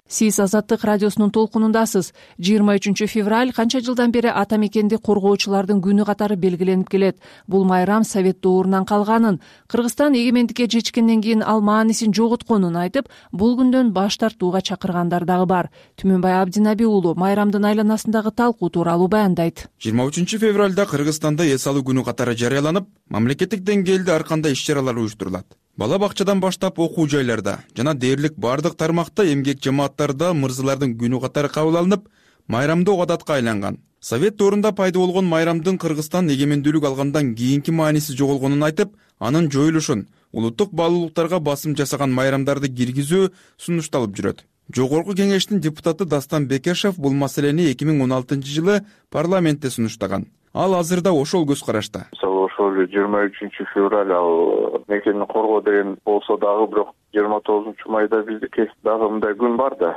Сиз Азаттык радиосунун толкунундасыз. 23 февраль канча жылдан бери ата мекенди коргоочулардын күнү катары белгиленип келет. Бул майрам Совет доорунан калганын, Кыргызстан эгемендикке жетишкенден кийин ал маанисин жоготконун айтып, бул күндөн баш тартууга чакыргандар дагы бар. Түмөнбай Абдинаби уулу майрамдын айланасындагы талкуу тууралуу баяндайт. 23 февралда Кыргызстанда эс алуу күнү катары жарыяланып, мамлекеттик деңгээлде ар кандай иш-чаралар уюштурулат. Бала бакчадан баштап окуу жайларда жана дээрлик бардык тармакта эмгек жамааттарда мырзалардын күнү катары кабыл алынып, майрамдоо адатка айланган. Совет доорунда пайда болгон майрамдын Кыргызстан эгемендүүлүк алгандан кийинки мааниси жоголгонун айтып, анын жоюлушун, улуттук баалуулуктарга басым жасаган майрамдарды киргизүү сунушталып жүрөт. Жогорку кеңештин депутаты Дастан Бекешев бул маселени 2016 жылы парламентте сунуштаган. Ал азырда ошол көз карашта. Ошол 23 февраль ал мекенди коргоо деген болсо дагы, бирок 29 майда биздики дагы мындай күн бар да.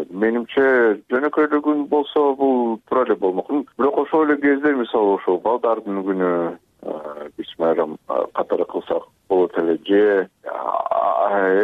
Менимче жөнөкөйлүү күн болсо бул туура эле болмок. Бирок ошол эле кезде мисалы ошол балдардын күнү биз майрам катары кылсак болот эле. Же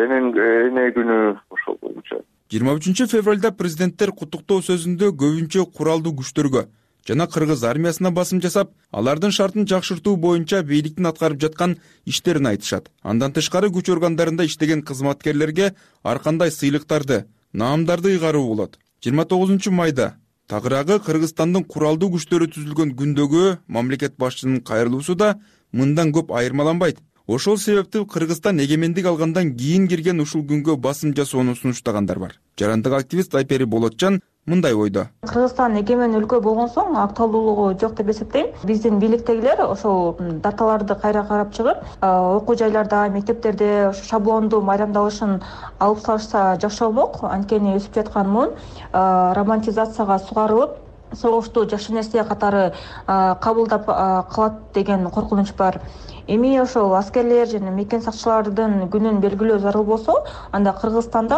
эне күнү ошол боюнча 23 президенттер куттуктоо сөзүндө көбүнчө куралдуу күчтөргө жана кыргыз армиясына басым жасап, алардын шартын жакшыртуу боюнча бийликтин аткарып жаткан иштерин айтышат. Андан тышкары күч органдарында иштеген кызматкерлерге ар кандай сыйлыктарды, наамдарды ыйгаруу болот. 29 майда тагыраагы Кыргызстандын куралдуу күчтөрү түзүлгөн күндөгү мамлекет башчынын кайрылуусу да мындан көп айырмаланбайт. Ошол себептүү Кыргызстан эгемендик алгандан кийин кирген ушул күнгө басым жасоону сунуштагандар бар. Жарандык активист Айпери Болотжан мындай ойдо. Кыргызстан эгемен өлкө болгон соң актуалдуулугу жок деп эсептейм. Биздин бийликтегилер ошол даталарды кайра карап чыгып, окуу жайларда, мектептерде шаблондуу майрамдалышын алып салышса жакшы болмок. Анткени өсүп жаткан муун романтизацияга сугарылып, согушту жакшы нерсе катары кабылдап калат деген коркунуч бар. Эми ошол аскерлер жана мекен сакчылардын күнүн белгилөө зарыл болсо, анда Кыргызстанда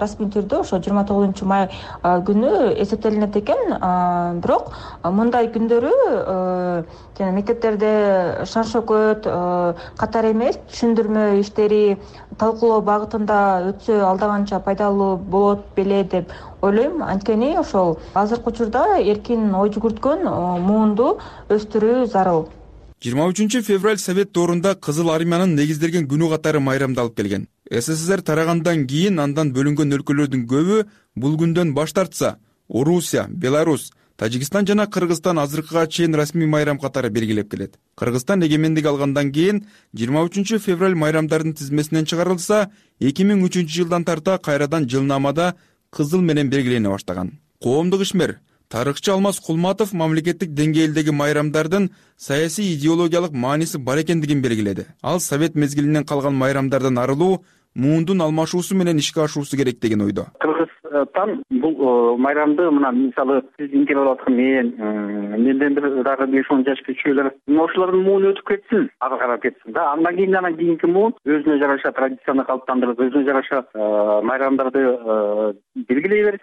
расмий түрдө ошо 29 май күнү эсептелинет экен. Бирок мындай күндөрү жана мектептерде шан шөкөт катар эмес, түшүндүрмө иштери талкуулоо багытында өтсө алда канча пайдалуу болот беле деп ойлойм. Анткени ошол азыркы учурда эркин ой жүгүрткөн муунду өстүрүү зарыл. 23 Совет доорунда Кызыл армиянын негизделген күнү катары майрамдалып келген. СССР тарагандан кийин андан бөлүнгөн өлкөлөрдүн көбү бул күндөн баш тартса, Орусия, Беларусь, Тажикстан жана Кыргызстан азыркыга чейин расмий майрам катары белгилеп келет. Кыргызстан эгемендик алгандан кийин 23 февраль майрамдардын тизмесинен чыгарылса, 2003 жылдан тарта кайрадан жылнамада кызыл менен белгилене баштаган. Коомдук ишмер тарыхчы Алмаз Кулматов мамлекеттик деңгээлдеги майрамдардын саясий идеологиялык мааниси бар экендигин белгиледи. Ал Совет мезгилинен калган майрамдардан арылуу, муундун алмашуусу менен ишке ашуусу керек деген ойдо. Кыргызстан бул майрамды мына мисалы сиздин келип аткан менден бир дагы 5-10 жаш кичүүлөр ошолордун мууну өтүп кетсин, ага карап кетсин да. Андан кийинки муун өзүнө жараша традицияны калыптандырып, өзүнө жараша майрамдарды белгилей берет.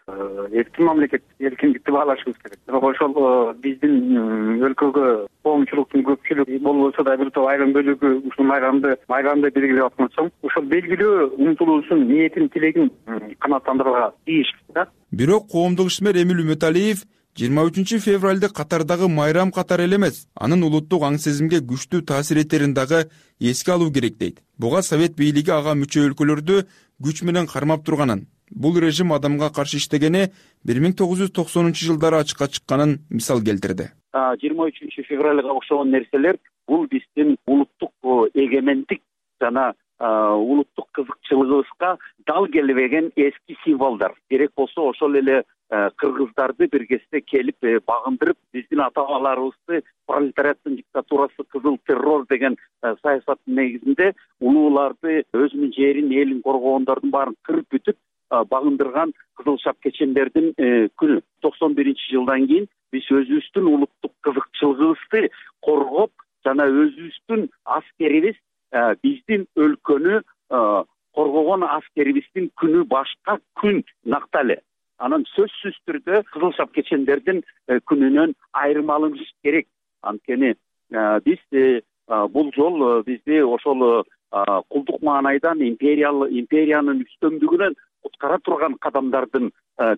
Эркин мамлекет, эркиндикти баалашыбыз керек. Бирок ошол биздин өлкөгө коомчулуктун көпчүлүгү болбосо да бир топ айрым бөлүгү ушул майрамды белгилеп аткан соң, ошол белгилөө умтулуусун, ниетин, тилегин канааттандырууга тийиш да. Бирок коомдук ишмер Эмил Үмөталиев 23 февралды катардагы майрам катары эле эмес, анын улуттук аң сезимге күчтүү таасир этерин дагы эске алуу керек дейт. Буга Совет бийлиги ага мүчө өлкөлөрдү күч менен кармап турганын, бул режим адамга каршы иштегени 1990 жылдары ачыкка чыкканын мисал келтирди. 23 февралга окшогон нерселер бул биздин улуттук эгемендик жана улуттук кызыкчылыгыбызга дал келбеген эски символдор. Керек болсо ошол эле кыргыздарды бир кезде келип багындырып, биздин ата-бабаларыбызды пролетариаттын диктатурасы, кызыл террор деген саясаттын негизинде улууларды, өзүнүн жерин, элин коргогондордун баарын кырып бүтүп багындырган кызыл шапкечендердин күнү. 91 жылдан кийин биз өзүбүздүн улуттук кызыкчылыгыбызды коргоп жана өзүбүздүн аскерибиз биздин өлкөнү коргогон аскерибиздин күнү башка күн накталы. Анан сөзсүз түрдө кызыл шапкечендердин күнүнөн айырмаланыш керек. Анткени биз бул жол бизди ошол кулдук маанайдан империянын үстөмдүгүнөн куткара турган кадамдардын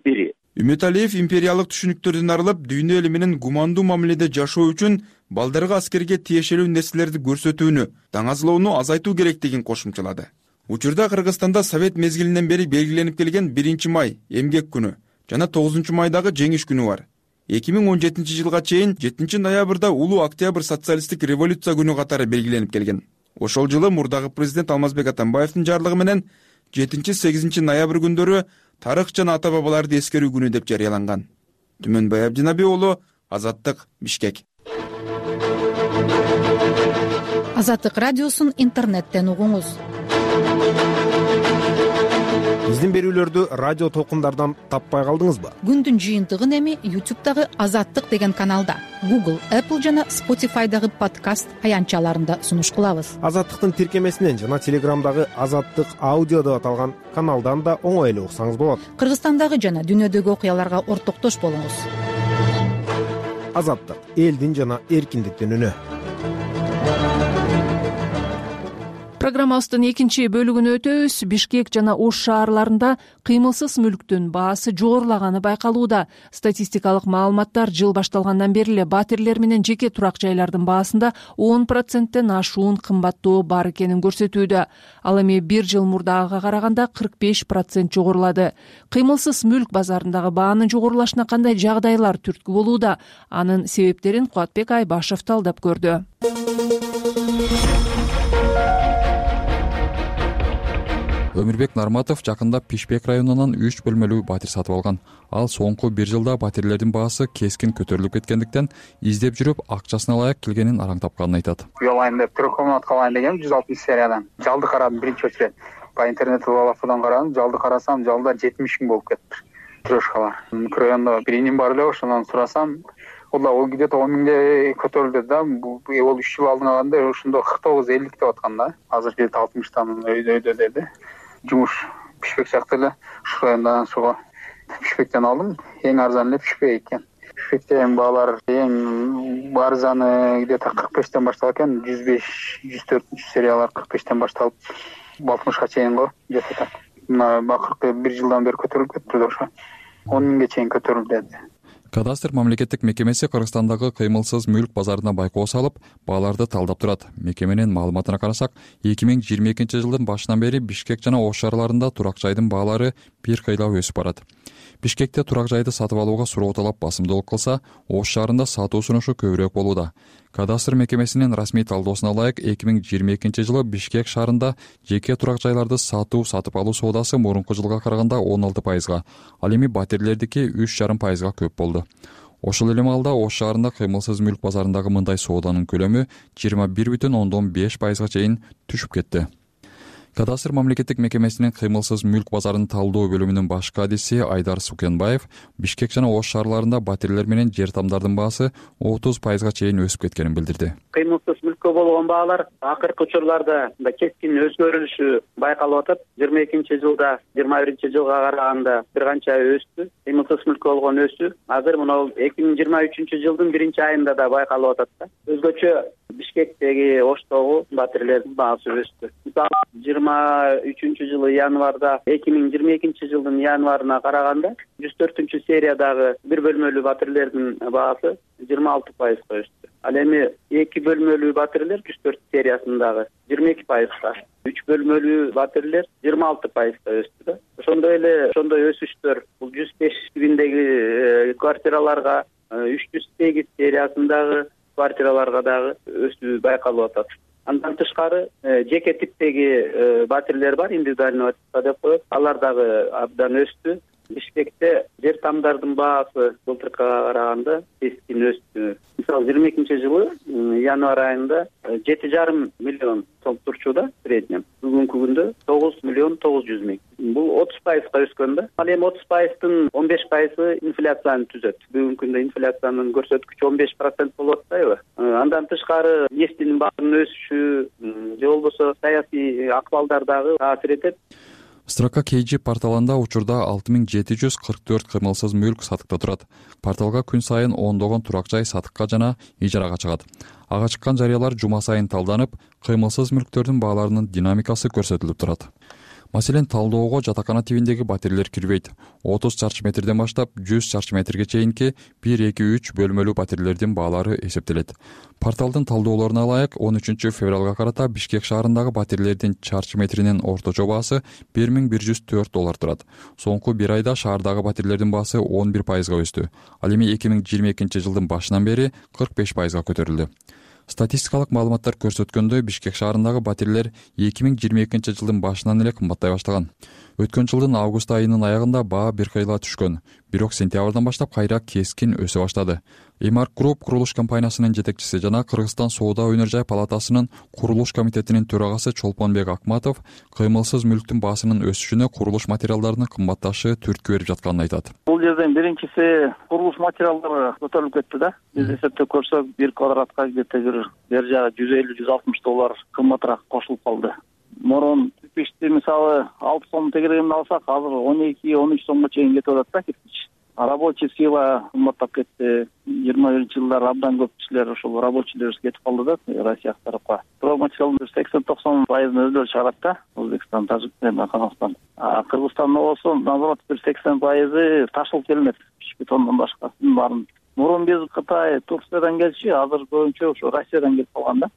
бири. Үмөталиев империялык түшүнүктөрдөн арылып, дүйнө эли менен гумандуу мамиледе жашоо үчүн балдарга аскерге тиешелүү нерселерди көрсөтүүнү, таңазлоону азайтуу керектигин кошумчалады. Учурда Кыргызстанда Совет мезгилинен бери белгиленип келген 1 май эмгек күнү жана 9 майдагы жеңиш күнү бар. 2017 жылга чейин 7 ноябрда улуу октябрь социалисттик революция күнү катары белгиленип келген. Ошол жылы мурдагы президент Алмазбек Атамбаевдин жарлыгы менен 7-8 ноябрь күндөрү тарых жана ата-бабаларды эскерүү күнү деп жарыяланган. Түмөнбай Абдинаби уулу, Азаттык, Бишкек. Азаттык радиосун интернеттен угуңуз. Биздин берүүлөрдү радио толкундардан таппай калдыңызбы? Күндүн жыйынтыгын эми YouTube'дагы Азаттык деген каналда, Google, Apple жана Spotify'дагы подкаст аянтчаларында сунуш кылабыз. Азаттыктын тиркемесинен жана Телеграмдагы Азаттык аудио деп аталган каналдан да оңой эле уксаңыз болот. Кыргызстандагы жана дүйнөдөгү окуяларга ортоктош болуңуз. Азаттык — элдин жана эркиндиктин үнү. Программабыздын экинчи бөлүгүнө өтөбүз. Бишкек жана Ош шаарларында кыймылсыз мүлктүн баасы жогорулаганы байкалууда. Статистикалык маалыматтар жыл башталгандан бери эле батирлер менен жеке турак жайлардын баасында 10%тен ашуун кымбаттоо бар экенин көрсөтүүдө. Ал эми бир жыл мурдагыга караганда 45% жогорулады. Кыймылсыз мүлк базарындагы баанын жогорулашына кандай жагдайлар түрткү болууда? Анын себептерин Кубатбек Айбашев талдап көрдү. Өмүрбек Нарматов жакында Пишпек районунан 3 бөлмөлүү батир сатып алган. Ал соңку бир жылда батирлердин баасы кескин көтөрүлүп кеткендиктен издеп жүрүп акчасына ылайык келгенин араң тапканын айтат. Уялайын деп 3 комнатка алайын дегем 160 сериядан. Жалды карадым биринчи очередь. По интернетте балафудан карадым, жалды карасам, жалда 70 000 болуп кетти. Трешкалар. Райондо бир иним бар эле, ошондон сурасам, ол где-то 10 000 көтөрүлдү да. Бул 3 жыл алдын алганда ошондо 49-50 деп аткан да. Азыр 60-тан өйдө деди. Жумуш Пишпек сыяктуу эле ушу райондан суга Пишпектен алдым. Эң арзан эле Пишпек экен. Пишпектен баалар эң арзаны где-то 45тен башталат экен. 105-104 сериялар 45тен башталып 60га чейин го, где-то так. Мына бакыркы бир жылдан бери көтөрүлүп кетти ошо. 10 000ге чейин көтөрүлдү. Кадастр мамлекеттик мекемеси Кыргызстандагы кыймылсыз мүлк базарына байкоо салып, бааларды талдап турат. Мекеменин маалыматына карасак, 2022-жылдын башынан бери Бишкек жана Ош шаарларында турак жайдын баалары бир кыйлап өсүп барат. Бишкекте турак жайды сатып алууга суроо талап басымдуулук кылса, Ош шаарында сатуу сунушу көбүрөөк болууда. Кадастр мекемесинин расмий талдоосуна ылайык 2022-жылы Бишкек шаарында жеке турак жайларды сатып алуу соодасы мурунку жылга караганда 16%, ал эми батирлердики 3,5%га көп болду. Ошол эле маалда Ош шаарында кыймылсыз мүлк базарындагы мындай сооданын көлөмү 21,5%га чейин түшүп кетти. Кадастр мамлекеттик мекемесинин кыймылсыз мүлк базарын талдоо бөлүмүнүн башкы адиси Айдар Сукенбаев Бишкек жана Ош шаарларында батирлер менен жер тамдардын баасы 30%га чейин өсүп кеткенин билдирди. Кыймылсыз мүлккө болгон баалар акыркы учурларда кескин өзгөрүлүшү байкалып атат. 22-жылда 21-жылга караганда бир канча өстү. Кыймылсыз мүлккө болгон өсүү азыр мына 2023-жылдын 1-айында да байкалып атат да. Өзгөчө Бишкектеги, Оштогу батирлердин баасы өстү. Мисалы 23-жылы январда 2022-жылдын январына караганда 104-сериядагы бир бөлмөлүү батирлердин баасы 26%га өстү. Ал эми 2 бөлмөлүү батирлер 104 сериясындагы 22%га, 3 бөлмөлүү батирлер 26%га өстү да. Ошондой өсүштөр бул 105 тибиндеги квартираларга, 308 сериясындагы квартираларга дагы өсүү байкалып атат. Андан тышкары жеке типтеги батирлер бар, индивидуальный деп коет. Алар дагы абдан өстү. Бишкекте жер тамдардын баасы былтыркыга караганда кескин өстү. Мисалы 22-жылы январь айында 7,5 миллион сом турчу среднем. Бүгүнкү күндө 9,9 миллион. Бул 30%га өскөн да. Ал эми 30%дын 15% инфляцияны түзөт. Бүгүнкү күндө инфляциянын көрсөткүчү 15% болуп атпайбы? Андан тышкары нефтинин баасынын өсүшү же болбосо саясий акыбалдар дагы таасир этет. Строка KG порталында учурда 6744 кыймылсыз мүлк сатыкта турат. Порталга күн сайын ондогон турак жай сатыкка жана ижарага чыгат. Ага чыккан жарыялар жума сайын талданып, кыймылсыз мүлктөрдүн бааларынын динамикасы көрсөтүлүп турат. Маселен, талдоого жатакана тибиндеги батирлер кирбейт. 30 чарчы метрден баштап 100 чарчы метрге чейинки 1-2-3 бөлмөлүү батирлердин баалары эсептелет. Порталдын талдоолоруна ылайык 13-февралга карата Бишкек шаарындагы батирлердин чарчы метринин орточо баасы $1104 турат. Соңку бир айда шаардагы батирлердин баасы 11%га өстү. Ал эми 2022-жылдын башынан бери 45%га көтөрүлдү. Статистикалык маалыматтар көрсөткөндөй, Бишкек шаарындагы батирлер 2022-жылдын башынан эле кымбаттай баштаган. Өткөн жылдын август айынын аягында баа бир кыйла түшкөн, бирок сентябрдан баштап кайра кескин өсө баштады. Эмарк Групп курулуш компаниясынын жетекчиси жана Кыргызстан соода өнөр жай палатасынын курулуш комитетинин төрагасы Чолпонбек Акматов кыймылсыз мүлктүн баасынын өсүшүнө курулуш материалдарынын кымбатташы түрткү берип жатканын айтат. Бул жерден биринчиси курулуш материалдары көтөрүлүп кетти да. Биз эсептеп көрсөк, бир квадратка где-то бер жагы $150-160 кымбатыраак кошулуп калды. Мурун кирпичти мисалы 6 сом тегерегинде алсак, азыр 12-13 сомго чейин кетип атат да кирпич. Рабочий сила кымбаттап кетти. 21-жылдары абдан көп кишилер ошол рабочийлер кетип калды да Россия тарапка. Стройматериалдын 80-90% өздөрү чыгарат да. Өзбекстан, Тажикстан, Казакстан. Кыргызстанда болсо наоборот 80% ташылып келмек. Бетондон башкасын баарын. Мурун биз Кытай, Турциядан келчү, азыр көбүнчө ошо Россиядан келип калган да.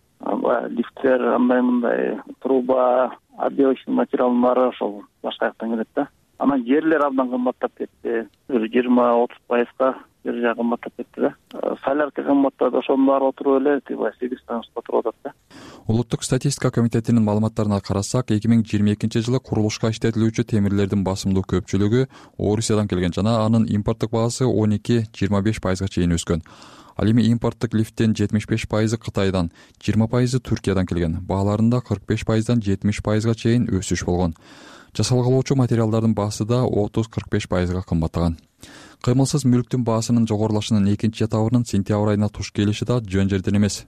Лифттер, андай труба, отделочный материалдын баары ошол башка жактан келет да. Анан жерлер абдан кымбаттап кетти. 20-30%га жер жай кымбаттап кетти да. Солярка кымбаттады, ошонун баары отуруп эле 8 станцияда отуруп атат да. Улуттук статистика комитетинин маалыматтарына карасак, 2022-жылы курулушка иштетилүүчү темирлердин басымдуу көпчүлүгү Орусиядан келген жана анын импорттук баасы 12-25%га чейин өскөн. Ал эми импорттук лифттин 75% Кытайдан, 20% Түркиядан келген. Бааларында 45%дан 70%га чейин өсүш болгон. Жасалгылоочу материалдардын баасы да 30-45%га кымбаттаган. Кыймылсыз мүлктүн баасынын жогорулашынын экинчи этабынын сентябрь айына туш келиши да жөн жерден эмес.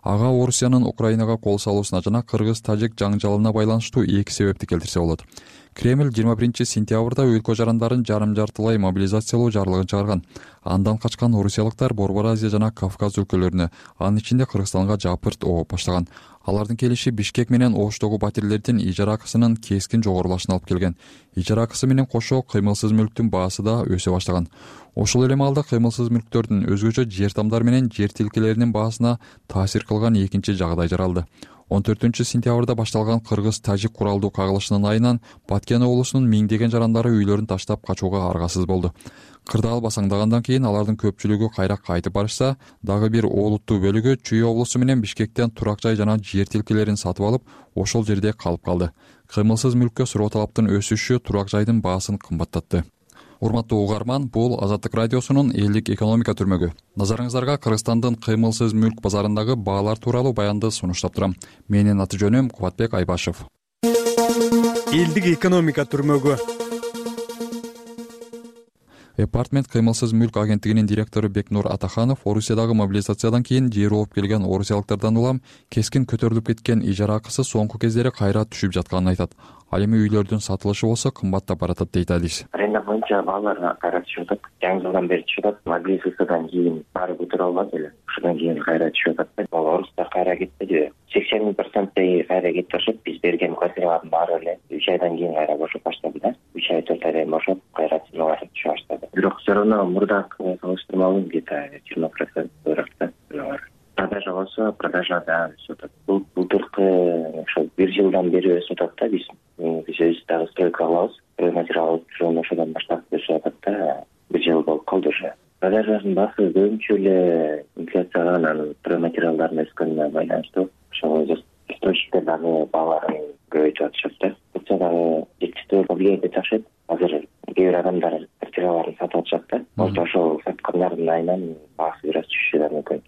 Ага Орусиянын Украинага кол салуусуна жана кыргыз-тажик жаңжалына байланыштуу эки себепти келтирсе болот. Кремль 21-сентябрда өлкө жарандарын жарым-жартылай мобилизациялоо жарлыгын чыгарган. Андан качкан орусиялыктар Борбор Азия жана Кавказ өлкөлөрүнө, анын ичинде Кыргызстанга жапырт ооп баштаган. Алардын келиши Бишкек менен Оштогу батирлердин ижара акысынын кескин жогорулашына алып келген. Ижара акысы менен кошо кыймылсыз мүлктүн баасы да өсө баштаган. Ошол эле маалда кыймылсыз мүлктөрдүн өзгөчө жер тамдар менен жер тилкелеринин баасына таасир кылган экинчи жагдай жаралды. 14-сентябрда башталган кыргыз-тажик куралдуу кагылышынын айынан Баткен облусунун миңдеген жарандары үйлөрүн таштап качууга аргасыз болду. Кырдаал басаңдагандан кийин алардын көпчүлүгү кайра кайтып барышса, дагы бир олуттуу бөлүгү Чүй облусу менен Бишкектен турак жай жана жер тилкелерин сатып алып, ошол жерде калып калды. Кыймылсыз мүлккө суроо талаптын өсүшү турак жайдын баасын кымбаттатты. Урматтуу угарман, бул Азаттык радиосунун элдик экономика түрмөгү. Назарыңыздарга Кыргызстандын кыймылсыз мүлк базарындагы баалар тууралуу баянды сунуштап турам. Менин аты жөнүм Кубатбек Айбашев. Элдик экономика түрмөгү. Апартмент кыймылсыз мүлк агенттигинин директору Бекнур Атаханов Орусиядагы мобилизациядан кийин жер болуп келген орусиялыктардан улам кескин көтөрүлүп кеткен ижара акысы соңку кездери кайра түшүп жатканын айтат. Ал эми үйлөрдүн сатылышы болсо кымбаттап баратат дейт Алис. Аренда боюнча баалар кайра түшүп атат. Жаңы жылдан бери түшүп атат. Мобилизациядан кийин баары көтөрө албады эле. Ошондон кийин кайра түшүп атат. Орустар кайра кетпеди. 80% кайра кетип башып, биз берген квартиралардын баары эле 3 айдан кийин кайра бошоп баштады да. 3 ай 4 айдан бошоп кайра ценалар түшө баштады. Бирок все равно мурдакы салыштырмалуу где-то 20% ыракта ценалар. Продажа болсо, продажа да өсүп атат. Былтыркы ошо 1 жылдан бери өсүп атат да биз өзүбүз дагы стройка кылабыз. Материал жөн ошодон баштап өсүп атат да 1 жыл болуп калды уже. Продажанын баасы көбүнчө эле инфляцияга анан стройматериалдардын өскөнүнө байланыштуу. Ошол источниктер дагы бааларын көбөйтүп атышат да. Бутса дагы жетиштүү влияние этип атышат. Азыр кээ бир адамдар квартираларын сатып атышат да. Ошол саткандардын айынан баасы бир аз түшүшү да мүмкүн.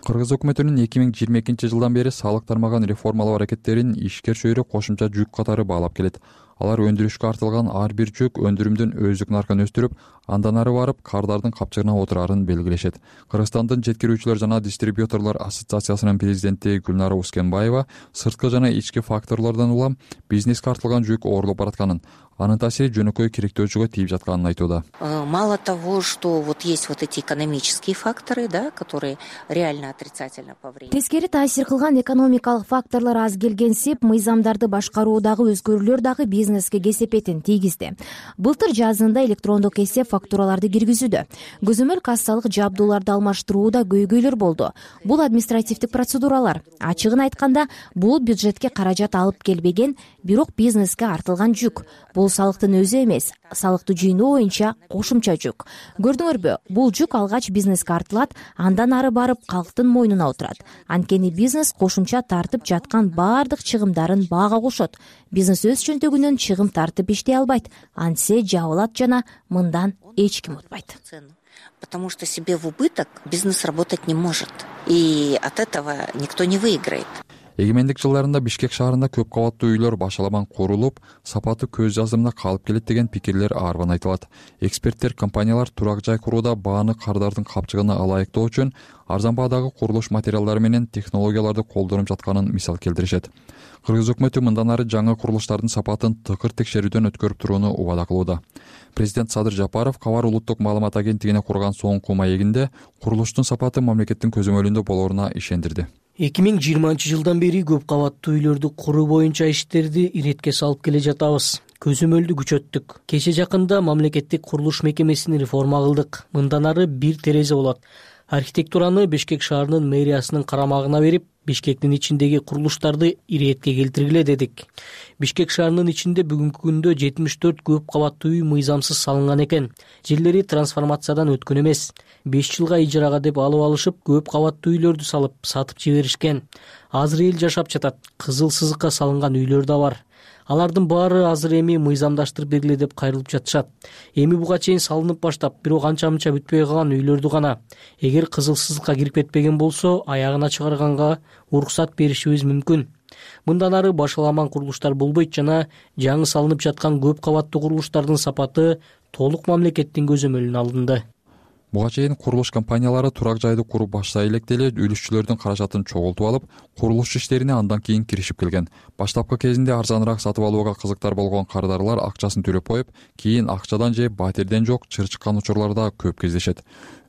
Кыргыз өкмөтүнүн 2022-жылдан бери салык тармагын реформалоо аракеттерин ишкер чөйрө кошумча жүк катары баалап келет. Алар өндүрүшкө артылган ар бир жүк өндүрүмдүн өздүк наркын өстүрүп, андан ары барып кардардын капчыгына отурарын белгилешет. Кыргызстандын жеткирүүчүлөр жана дистрибьюторлор ассоциациясынын президенти Гүлнара Ускенбаева сырткы жана ички факторлордон улам бизнеске артылган жүк оорлоп баратканын, анын таасири жөнөкөй кириктөөчүгө тийип жатканын айтууда. Мало того, что вот есть вот эти экономические факторы, да, которые реально отрицательно повлияют. Тескери таасир кылган экономикалык факторлор аз келгенсип, мыйзамдарды башкаруудагы өзгөрүүлөр дагы бизнеске кесепетин тийгизди. Былтыр жазында электрондук эсеп фактураларды киргизүүдө, көзөмөл кассалык жабдууларды алмаштырууда көйгөйлөр болду. Бул административдик процедуралар. Ачыгын айтканда, бул бюджетке каражат алып келбеген, бирок бизнеске артылган жүк. Бул салыктын өзү эмес, салыкты жыйноо боюнча кошумча жүк. Көрдүңөрбү, бул жүк алгач бизнеске артылат, андан ары барып калктын мойнуна отурат. Анткени бизнес кошумча тартып жаткан баардык чыгымдарын баага кошот. Бизнес өз чөнтөгүнөн чыгым тартып иштей албайт, антсе жабылат жана мындан эч ким утпайт. Потому что себе в убыток бизнес работать не может. И от этого никто не выиграет. эгемендик жылдарында Бишкек шаарында көп кабаттуу үйлөр башаламан курулуп, сапаты көз жаздымда калып келет деген пикирлер арбан айтылат. Эксперттер компаниялар турак жай курууда бааны кардардын капчыгына ылайыктоо үчүн арзан баадагы курулуш материалдары менен технологияларды колдонуп жатканын мисал келтиришет. Кыргыз өкмөтү мындан ары жаңы курулуштардын сапатын тыкыр текшерүүдөн өткөрүп турууну убада кылууда. Президент Садыр Жапаров Кабар улуттук маалымат агенттигине курган соңку маегинде курулуштун сапаты мамлекеттин көзөмөлүндө болоруна ишендирди. 2020-жылдан бери көп кабаттуу үйлөрдү куруу боюнча иштерди иретке салып келе жатабыз. Көзөмөлдү күчөттүк. Кече жакында мамлекеттик курулуш мекемесин реформа кылдык. Мындан ары бир терезе болот. Архитектураны Бишкек шаарынын мэриясынын карамагына берип, Бишкектин ичиндеги курулуштарды иретке келтиргиле дедик. Бишкек шаарынын ичинде бүгүнкү күндө 74 көп кабаттуу үй мыйзамсыз салынган экен. Жерлери трансформациядан өткөн эмес. 5 жылга ижарага деп алып алышып, көп кабаттуу үйлөрдү салып, сатып жиберишкен. Азыр эл жашап жатат. Кызыл сызыкка салынган үйлөр да бар. Алардын баары азыр эми мыйзамдаштырып бергиле деп кайрылып жатышат. Эми буга чейин салынып баштап, бирок анча-мынча бүтпөй калган үйлөрдү гана эгер кызыл сызыкка кирип кетпеген болсо, аягына чыгарганга уруксат беришибиз мүмкүн. Мындан ары башаламан курулуштар болбойт жана жаңы салынып жаткан көп кабаттуу курулуштардын сапаты толук мамлекеттин көзөмөлүнө алынды. Буга чейин курулуш компаниялары турак жайды куруп баштай элек деле үлүшчүлөрдүн каражатын чогултуп алып, курулуш иштерине андан кийин киришип келген. Баштапкы кезинде арзаныраак сатып алууга кызыктар болгон кардарлар акчасын төлөп коюп, кийин акчадан же батирден жок чыр чыккан учурлар да көп кездешет.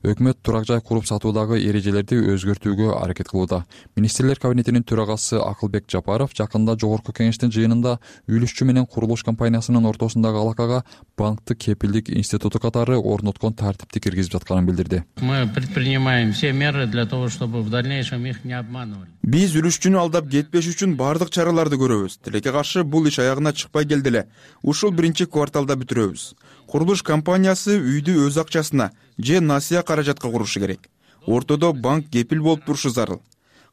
Өкмөт турак жай куруп сатуудагы эрежелерди өзгөртүүгө аракет кылууда. Министрлер кабинетинин төрагасы Акылбек Жапаров жакында жогорку кеңештин жыйынында үлүшчү менен курулуш компаниясынын ортосундагы алакага банктык кепилдик институту катары орноткон тартипти киргизип жатканын билдирди. Мы предпринимаем все меры для того, чтобы в дальнейшем их не обманывали. Биз үлүшчүнү алдап кетпеш үчүн бардык чараларды көрөбүз. Тилекке каршы бул иш аягына чыкпай келди эле. Ушул биринчи кварталда бүтүрөбүз. Курулуш компаниясы үйдү өз акчасына же насыя каражатка курушу керек. Ортодо банк кепил болуп турушу зарыл.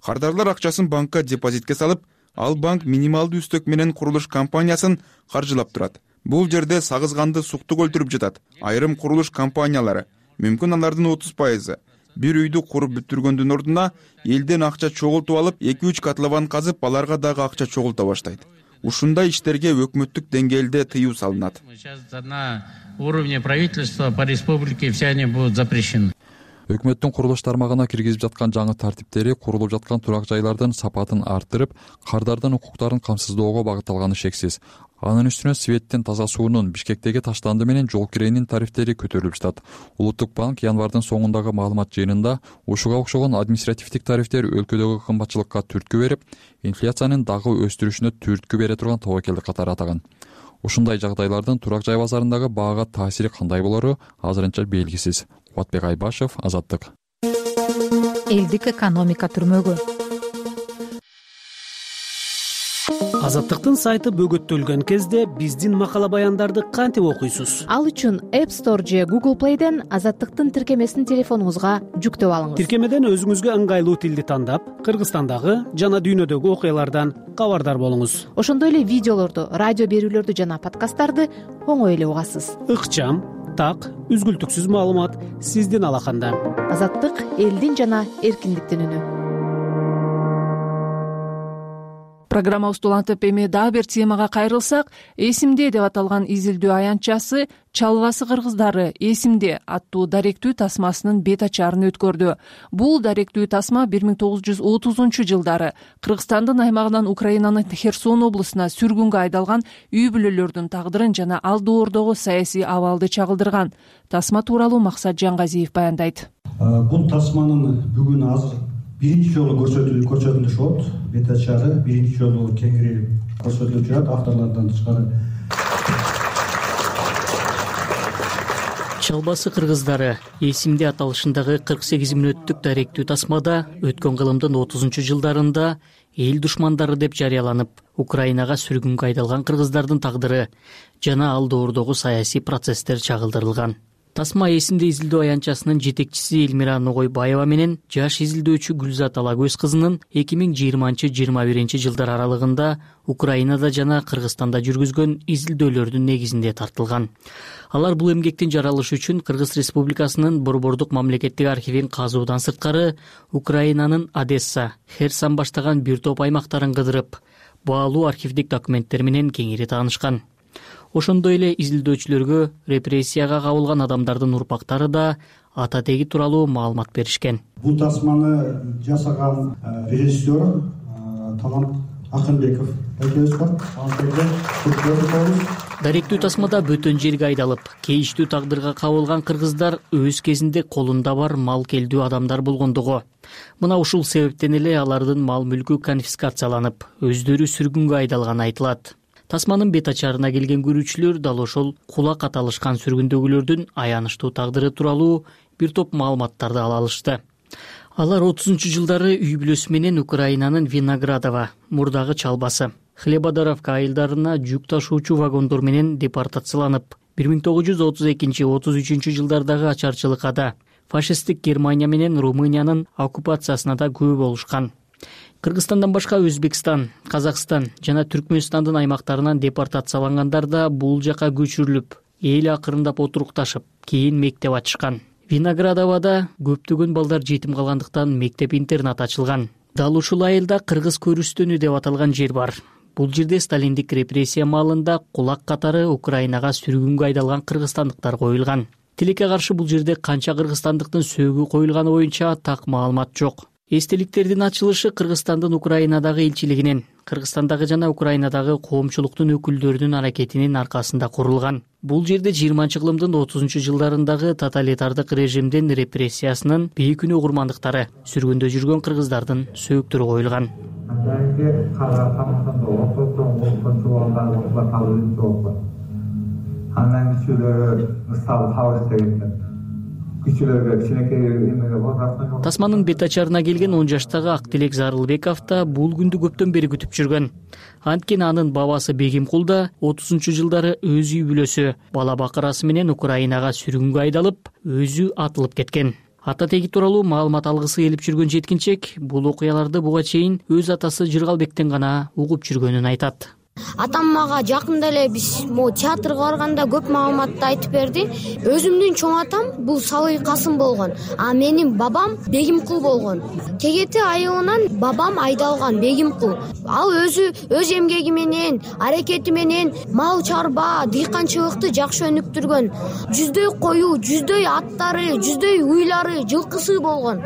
Кардарлар акчасын банкка депозитке салып, ал банк минималдуу үстөк менен курулуш компаниясын каржылап турат. Бул жерде сагызганды суктук өлтүрүп жатат. Айрым курулуш компаниялары, мүмкүн алардын 30%, бир үйдү куруп бүтүргөндүн ордуна элден акча чогултуп алып, 2-3 котлован казып, аларга дагы акча чогулта баштайт. Ушундай иштерге өкмөттүк деңгээлде тыюу салынат. На уровне правительства по республике все они будут запрещены. Өкмөттүн курулуш тармагына киргизип жаткан жаңы тартиптери курулуп жаткан турак жайлардын сапатын арттырып, кардардын укуктарын камсыздоого багытталганы шексиз. Анын үстүнө светтин, таза суунун, Бишкектеги таштанды менен жол киренин тарифтери көтөрүлүп жатат. Улуттук банк январдын соңундагы маалымат жыйынында ушуга окшогон административдик тарифтер өлкөдөгү кымбатчылыкка түрткү берип, инфляциянын дагы өстүрүшүнө түрткү бере турган тобокелдик катары атаган. Ушундай жагдайлардын турак жай базарындагы баага таасири кандай болору азырынча белгисиз. Кубатбек Айбашев, Азаттык. Элдик экономика түрмөгү. Азаттыктын сайты бөгөттөлгөн кезде биздин макала баяндарды кантип окуйсуз? Ал үчүн App Store же Google Play'ден Азаттыктын тиркемесин телефонуңузга жүктөп алыңыз. Тиркемеден өзүңүзгө ыңгайлуу тилди тандап, Кыргызстандагы жана дүйнөдөгү окуялардан кабардар болуңуз. Ошондой эле видеолорду, радио берүүлөрдү жана подкасттарды оңой эле угасыз. Ыкчам, так, үзгүлтүксүз маалымат сиздин алаканда. Азаттык — элдин жана эркиндиктин үнү. Программабызды улантып эми дагы бир темага кайрылсак, эсимде деп аталган изилдөө аянтчасы Чалбасы кыргыздары эсимде аттуу даректүү тасмасынын бет ачарын өткөрдү. Бул даректүү тасма 1930-жылдары Кыргызстандын аймагынан Украинанын Херсон облусуна сүргүнгө айдалган үй бүлөлөрдүн тагдырын жана ал доордогу саясий абалды чагылдырган. Тасма тууралуу Максат Жангазиев баяндайт. Бул тасманын бүгүн азыр биринчи жолу көрсөтүлүшүп болот. Бет ачары биринчи жолу кеңири көрсөтүлүп жатат авторлордон тышкары. Чалбасы кыргыздары эсимде аталышындагы 48 мүнөттүк даректүү тасмада өткөн кылымдын 30-жылдарында эл душмандары деп жарыяланып, Украинага сүргүнгө айдалган кыргыздардын тагдыры жана ал доордогу саясий процесстер чагылдырылган. Тасма эсимде изилдөө аянтчасынын жетекчиси Элмира Ногойбаева менен жаш изилдөөчү Гүлзат Алагөз кызынын 2020-21 жылдар аралыгында Украинада жана Кыргызстанда жүргүзгөн изилдөөлөрдүн негизинде тартылган. Алар бул эмгектин жаралышы үчүн Кыргыз Республикасынын Борбордук мамлекеттик архивин казуудан сырткары Украинанын Одесса, Херсон баштаган бир топ аймактарын кыдырып, баалуу архивдик документтер менен кеңири таанышкан. Ошондой эле изилдөөчүлөргө репрессияга кабылган адамдардын урпактары да ата теги тууралуу маалымат беришкен. Бул тасманы жасаган режиссер Талант Акынбеков экөөбүз бар. Даректүү тасмада бөтөн жерге айдалып, кейиштүү тагдырга кабылган кыргыздар өз кезинде колунда бар мал келдүү адамдар болгондугу. Мына ушул себептен эле алардын мал мүлкү конфискацияланып, өздөрү сүргүнгө айдалганы айтылат. Тасманын бет ачарына келген көрүүчүлөр дал ошол кулак аталышкан сүргүндөгүлөрдүн аянычтуу тагдыры тууралуу бир топ маалыматтарды ала алышты. Алар 30-жылдары үй бүлөсү менен Украинанын Виноградова, мурдагы Чалбасы, Хлебодаровка айылдарына жүк ташуучу вагондор менен депортацияланып, 1932-33 жылдардагы ачарчылыкада фашисттик Германия менен Румыниянын оккупациясына да күбө болушкан. Кыргызстандан башка Өзбекстан, Казакстан жана Түркмөнстандын аймактарынан депортациялангандар да бул жака көчүрүлүп, эл акырындап отурукташып, кийин мектеп ачышкан. Виноградовада көптөгөн балдар жетим калгандыктан мектеп-интернат ачылган. Дал ушул айылда Кыргыз көрүстөнү деп аталган жер бар. Бул жерде сталиндик репрессия маалында кулак катары Украинага сүргүнгө айдалган кыргызстандыктар коюлган. Тилекке каршы бул жерде канча кыргызстандыктын сөөгү коюлганы боюнча так маалымат жок. Эстеликтердин ачылышы Кыргызстандын Украинадагы элчилигинин, Кыргызстандагы жана Украинадагы коомчулуктун өкүлдөрүнүн аракетинин аркасында курулган. Бул жерде 20-кылымдын 30-жылдарындагы тоталитардык режимдин репрессиясынын бейкүнөө курмандыктары, сүргүндө жүргөн кыргыздардын сөөктөрү коюлган. Тасманын бет ачарына келген 10 жаштагы Актилек Зарылбеков да бул күндү көптөн бери күтүп жүргөн. Анткени анын бабасы Бегимкул да 30-жылдары өз үй бүлөсү, бала бакырасы менен Украинага сүргүнгө айдалып, өзү атылып кеткен. Ата теги тууралуу маалымат алгысы келип жүргөн жеткинчек бул окуяларды буга чейин өз атасы Жыргалбектен гана угуп жүргөнүн айтат. Атам мага жакында эле биз театрга барганда көп маалыматты айтып берди. Өзүмдүн чоң атам бул Салый Касым болгон, а менин бабам Бегимкул болгон. Тегети айылынан бабам айдалган Бегимкул. Ал өз эмгеги менен, аракети менен мал чарба, дыйканчылыкты жакшы өнүктүргөн. Жүздөй кою, жүздөй аттары, жүздөй уйлары, жылкысы болгон.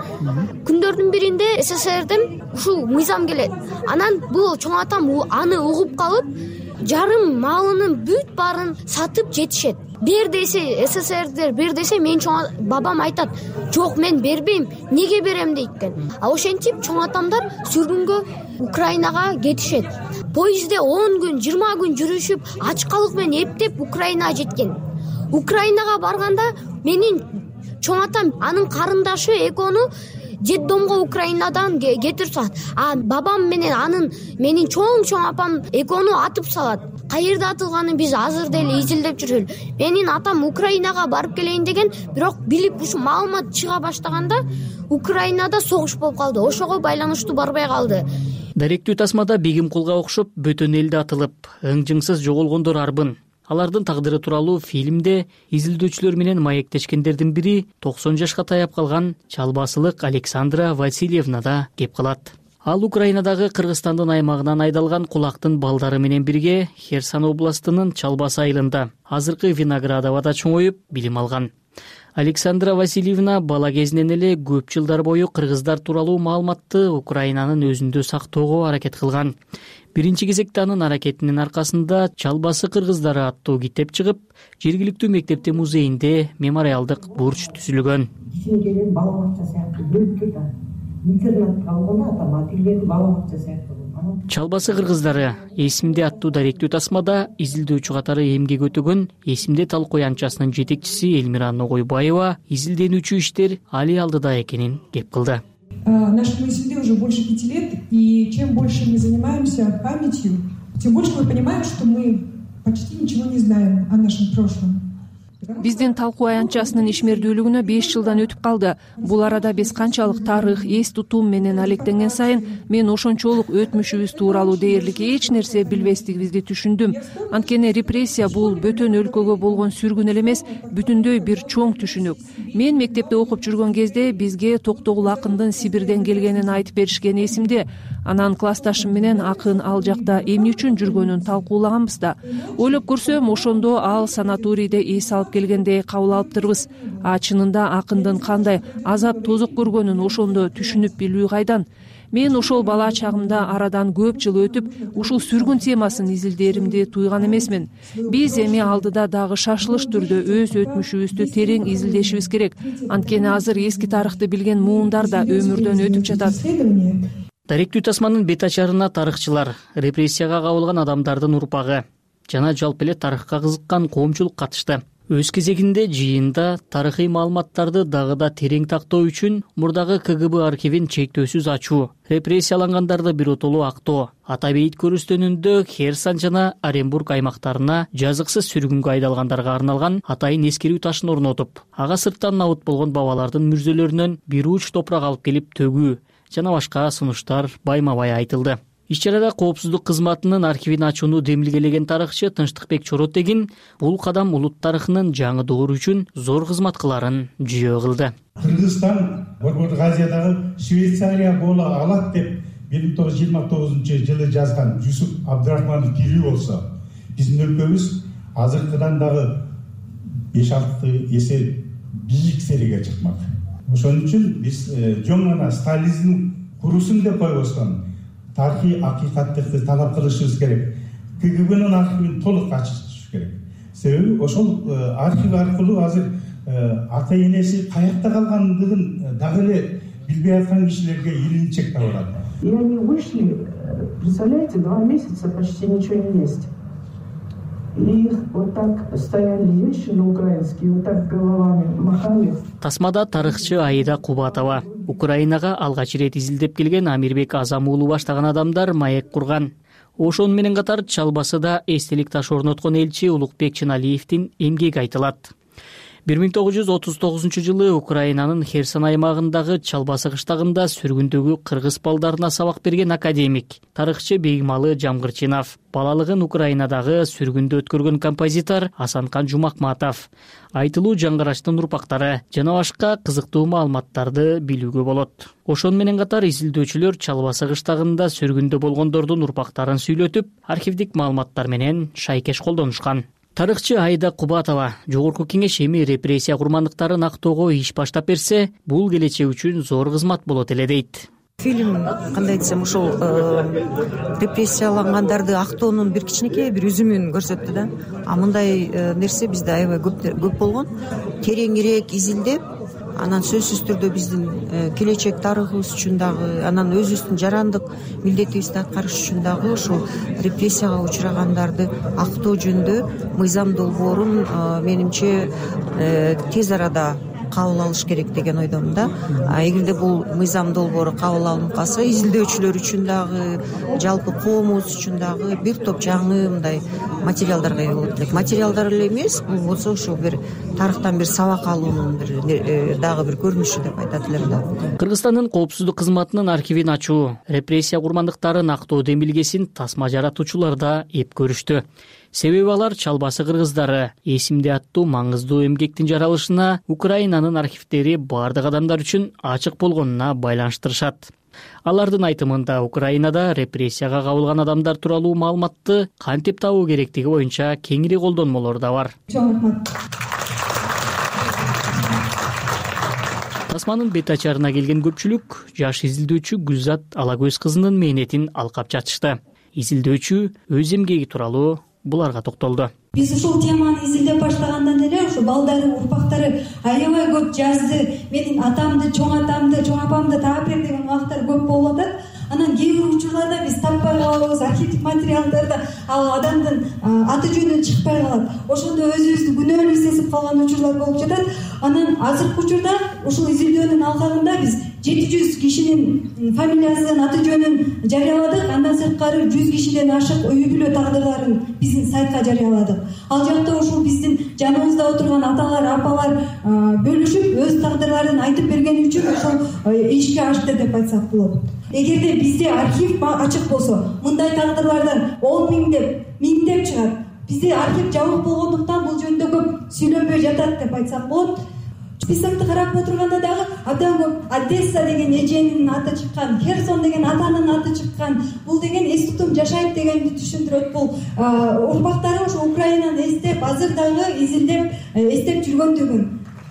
Күндөрдүн биринде СССРден ушул мыйзам келет. Анан бул чоң атам аны угуп калып, жарым малынын бүт баарын сатып жетишет. Бер десе СССРдер, бер десе мен чоң бабам айтат, жок мен бербейм, неге берем дейт. А ошентип чоң атамдар сүргүнгө Украинага кетишет. Поездде 10 күн, 20 күн жүрүшүп, ачкалык менен эптеп Украинага жеткен. Украинага барганда менин чоң атам анын карындашы экөөнү детдомго Украинадан кетирип салат. А бабам менен менин чоң апам экөөнү атып салат. Каерде атылганын биз азыр деле изилдеп жүрөлү. Менин атам Украинага барып келейин деген, бирок билип ушу маалымат чыга баштаганда Украинада согуш болуп калды. Ошого байланыштуу барбай калды. Даректүү тасмада Бегимкулга окшоп бөтөн элде атылып, ыңжыңсыз жоголгондор арбын. Алардын тагдыры тууралуу фильмде изилдөөчүлөр менен маектешкендердин бири 90 жашка таяп калган чалбасылык Александра Васильевна да кеп калат. Ал Украинадагы Кыргызстандын аймагынан айдалган кулактын балдары менен бирге Херсон областынын Чалбасы айылында, азыркы Виноградовада чоңоюп, билим алган. Александра Васильевна бала кезинен эле көп жылдар бою кыргыздар тууралуу маалыматты Украинанын өзүндө сактоого аракет кылган. Биринчи кезекте анын аракетинин аркасында Чалбасы кыргыздары аттуу китеп чыгып, жергиликтүү мектепте музейинде мемориалдык бурч түзүлгөн. Бала бакча сыяктуу бөлүп кеткен. Интернатка алганда атам ательеди бала бакча сыяктуу. Чалбасы кыргыздары эсимде аттуу даректүү тасмада изилдөөчү катары эмгек өтөгөн эсимде талкуу аянтчасынын жетекчиси Элмира Ногойбаева изилденүүчү иштер али алдыда экенин кеп кылды. Нашему исследованию уже больше 5 лет, и чем больше мы занимаемся памятью, тем больше мы понимаем, что мы почти ничего не знаем о нашем прошлом. Биздин талкуу аянтчасынын ишмердүүлүгүнө 5 жылдан өтүп калды. Бул арада биз канчалык тарых, эс тутум менен алектенген сайын мен ошончолук өтмүшүбүз тууралуу дээрлик эч нерсе билбестигибизди түшүндүм. Анткени репрессия бул бөтөн өлкөгө болгон сүргүн эле эмес, бүтүндөй бир чоң түшүнүк. Мен мектепте окуп жүргөн кезде бизге Токтогул акындын Сибирден келгенин айтып беришкен эсимде. Анан классташым менен акын ал жакта эмне үчүн жүргөнүн талкуулаганбыз да. Ойлоп көрсөм, ошондо ал санаторийде эс алып келгендей кабыл алыптырбыз. Чынында акындын кандай азап тозок көргөнүн ошондо түшүнүп билүү кайдан. Мен ошол бала чагымда арадан көп жыл өтүп, ушул сүргүн темасын изилдээримди туйган эмесмин. Биз эми алдыда дагы шашылыш түрдө өз өтмүшүбүздү терең изилдешибиз керек. Анткени азыр эски тарыхты билген муундар да өмүрдөн өтүп жатат. Даректүү тасманын бет ачарына тарыхчылар, репрессияга кабылган адамдардын урпагы жана жалпы эле тарыхка кызыккан коомчулук катышты. Өз кезегинде жыйында тарыхый маалыматтарды дагы да терең тактоо үчүн мурдагы КГБ архивин чектөөсүз ачуу, репрессиялангандарды биротолуу актоо, ата бейит көрүстөнүндө Херсон жана Оренбург аймактарына жазыксыз сүргүнгө айдалгандарга арналган атайын эскерүү ташын орнотуп, ага сырттан набыт болгон бабалардын мүрзөлөрүнөн бир уч топурак алып келип төгүү жана башка сунуштар байма-бай айтылды. Иш-чарада коопсуздук кызматынын архивин ачууну демилгелеген тарыхчы Тынчтыкбек Чоротегин бул кадам улут тарыхынын жаңы доору үчүн зор кызмат кыларын жүйө кылды. Кыргызстан Борбордук Азиядагы Швейцария боло алат деп 1929 жазган Жусуп Абдрахманов тирүү болсо, биздин өлкөбүз азыркыдан дагы 5-6 эсе бийик сериге чыкмак. Ошон үчүн биз жөн гана Сталиндин курусун деп койбостон тарыхый акыйкаттыкты талап кылышыбыз керек. КГБнын архивин толук ачышыбыз керек. Себеби ошол архив аркылуу азыр ата энеси каякта калгандыгын дагы эле билбей аткан кишилерге илинчек табылат. И они вышли, представляете, 2 месяца почти ничего не есть. И их вот так стояли вещи на украинские, вот так головами махали. Тасмада тарыхчы Аида Кубатова, Украинага алгач ирет изилдеп келген Амирбек Азам уулу баштаган адамдар маек курган. Ошону менен катар Чалбасыда эстелик таш орноткон элчи Улукбек Чыналиевдин эмгеги айтылат. 1939 Украинанын Херсон аймагындагы Чалбасы кыштагында сүргүндөгү кыргыз балдарына сабак берген академик, тарыхчы Бейгмалы Жамгырчинов, балалыгын Украинадагы сүргүндө өткөргөн композитор Асанкан Жумакматов, айтылуу жаңгырачтын урпактары жана башка кызыктуу маалыматтарды билүүгө болот. Ошону менен катар изилдөөчүлөр Чалбасы кыштагында сүргүндө болгондордун урпактарын сүйлөтүп, архивдик маалыматтар менен шайкеш колдонушкан. Тарыхчы Аида Кубатова жогорку кеңеш эми репрессия курмандыктарын актоого иш баштап берсе, бул келечек үчүн зор кызмат болот эле дейт. Фильм кандай десем, ошол репрессиялангандарды актоонун бир кичинекей бир үзүмүн көрсөттү да. Мындай нерсе бизде аябай көп болгон. Тереңирээк изилдеп, анан сөзсүз түрдө биздин келечек тарыхыбыз үчүн дагы, анан өзүбүздүн жарандык милдетибизди аткарыш үчүн дагы ошол репрессияга учурагандарды актоо жөнүндө мыйзам долбоорун менимче тез арада кабыл алыш керек деген ойдомун да. Эгерде бул мыйзам долбоору кабыл алынып калса, изилдөөчүлөр үчүн дагы, жалпы коомубуз үчүн дагы бир топ жаңы мындай материалдарга ээ болот элек. Материалдар эле эмес, бул болсо ошо бир тарыхтан бир сабак алуунун дагы бир көрүнүшү деп айтат элем да. Кыргызстандын коопсуздук кызматынын архивин ачуу, репрессия курмандыктарын актоо демилгесин тасма жаратуучулар да эп көрүштү. Себеби алар Чалбасы кыргыздары эсимде аттуу маңыздуу эмгектин жаралышына Украинанын архивдери бардык адамдар үчүн ачык болгонуна байланыштырышат. Алардын айтымында Украинада репрессияга кабылган адамдар тууралуу маалыматты кантип табуу керектиги боюнча кеңири колдонмолор да бар. Тасманын бет ачарына келген көпчүлүк жаш изилдөөчү Гүлзат Алагөз кызынын мээнетин алкап жатышты. Изилдөөчү өз эмгеги тууралуу буларга токтолду. Биз ушул теманы изилдеп баштагандан эле ошо балдары, урпактары аябай көп жазды. Менин атамды, чоң апамды таап бер деген убактар көп болуп атат. Анан кээ бир учурларда биз таппай калабыз, архивдик материалдарда ал адамдын аты жөнү чыкпай калат. Ошондо өзүбүздү күнөөлүү сезип калган учурлар болуп жатат. Анан азыркы учурда ушул изилдөөнүн алкагында биз 700 кишинин фамилиясын, аты жөнүн жарыяладык. Андан сырткары 100 кишиден ашык үй бүлө тагдырларын биздин сайтка жарыяладык. Ал жакта ушул биздин жаныбызда отурган аталар, апалар бөлүшүп өз тагдырларын айтып бергени үчүн ошол ишке ашты деп айтсак болот. Эгерде бизде архив ачык болсо, мындай тагдырлардан 10 миңдеп чыгат. Бизде архив жабык болгондуктан бул жөнүндө көп сүйлөнбөй жатат деп айтсак болот. Списокты карап отурганда дагы абдан көп Одесса деген эженин аты чыккан, Херсон деген атанын аты чыккан. Бул деген эс тутум жашайт дегенди түшүндүрөт. Бул урпактары ошо Украинаны эстеп, азыр дагы изилдеп, эстеп жүргөндүгүн.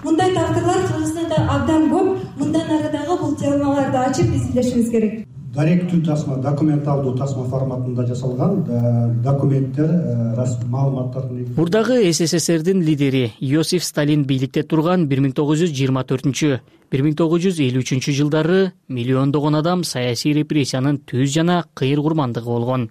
Мындай тагдырлар Кыргызстанда абдан көп. Мындан ары дагы бул темаларды ачып изилдешибиз керек. Даректүү тасма, документалдуу тасма форматында жасалган документтер, маалыматтардын. Мурдагы СССРдин лидери Иосиф Сталин бийликте турган 1924-1953 жылдары миллиондогон адам саясий репрессиянын түз жана кыйыр курмандыгы болгон.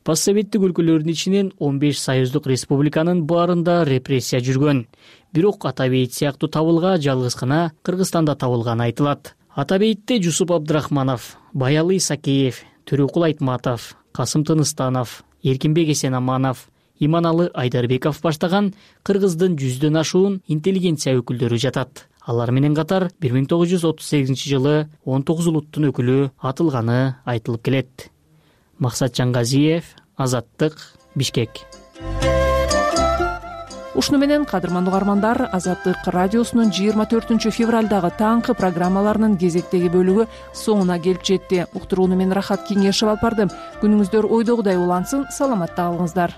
Постсоветтик өлкөлөрдүн ичинен 15 союздук республиканын баарында репрессия жүргөн. Бирок Атабейит сыяктуу табылга жалгыз гана Кыргызстанда табылганы айтылат. Атабейтте Жусуп Абдрахманов, Баялый Исакеев, Төрөкул Айтматов, Касым Тыныстанов, Эркинбек Эсенаманов, Иманалы Айдарбеков баштаган Кыргыздын 100дөн ашуун интеллигенция өкүлдөрү жатат. Алар менен катар 1938 19 улуттун өкүлү атылганы айтылып келет. Максат Жаңгазиев, Азаттык, Бишкек. Ушуну менен кадырман угармандар, Азаттык радиосунун 24 февралдагы таңкы программаларынын кезектеги бөлүгү соңуна келип жетти. Уктурууну мен Рахат Кеңешев алып бардым. Күнүңүздөр ойдогудай улансын, саламатта калыңыздар.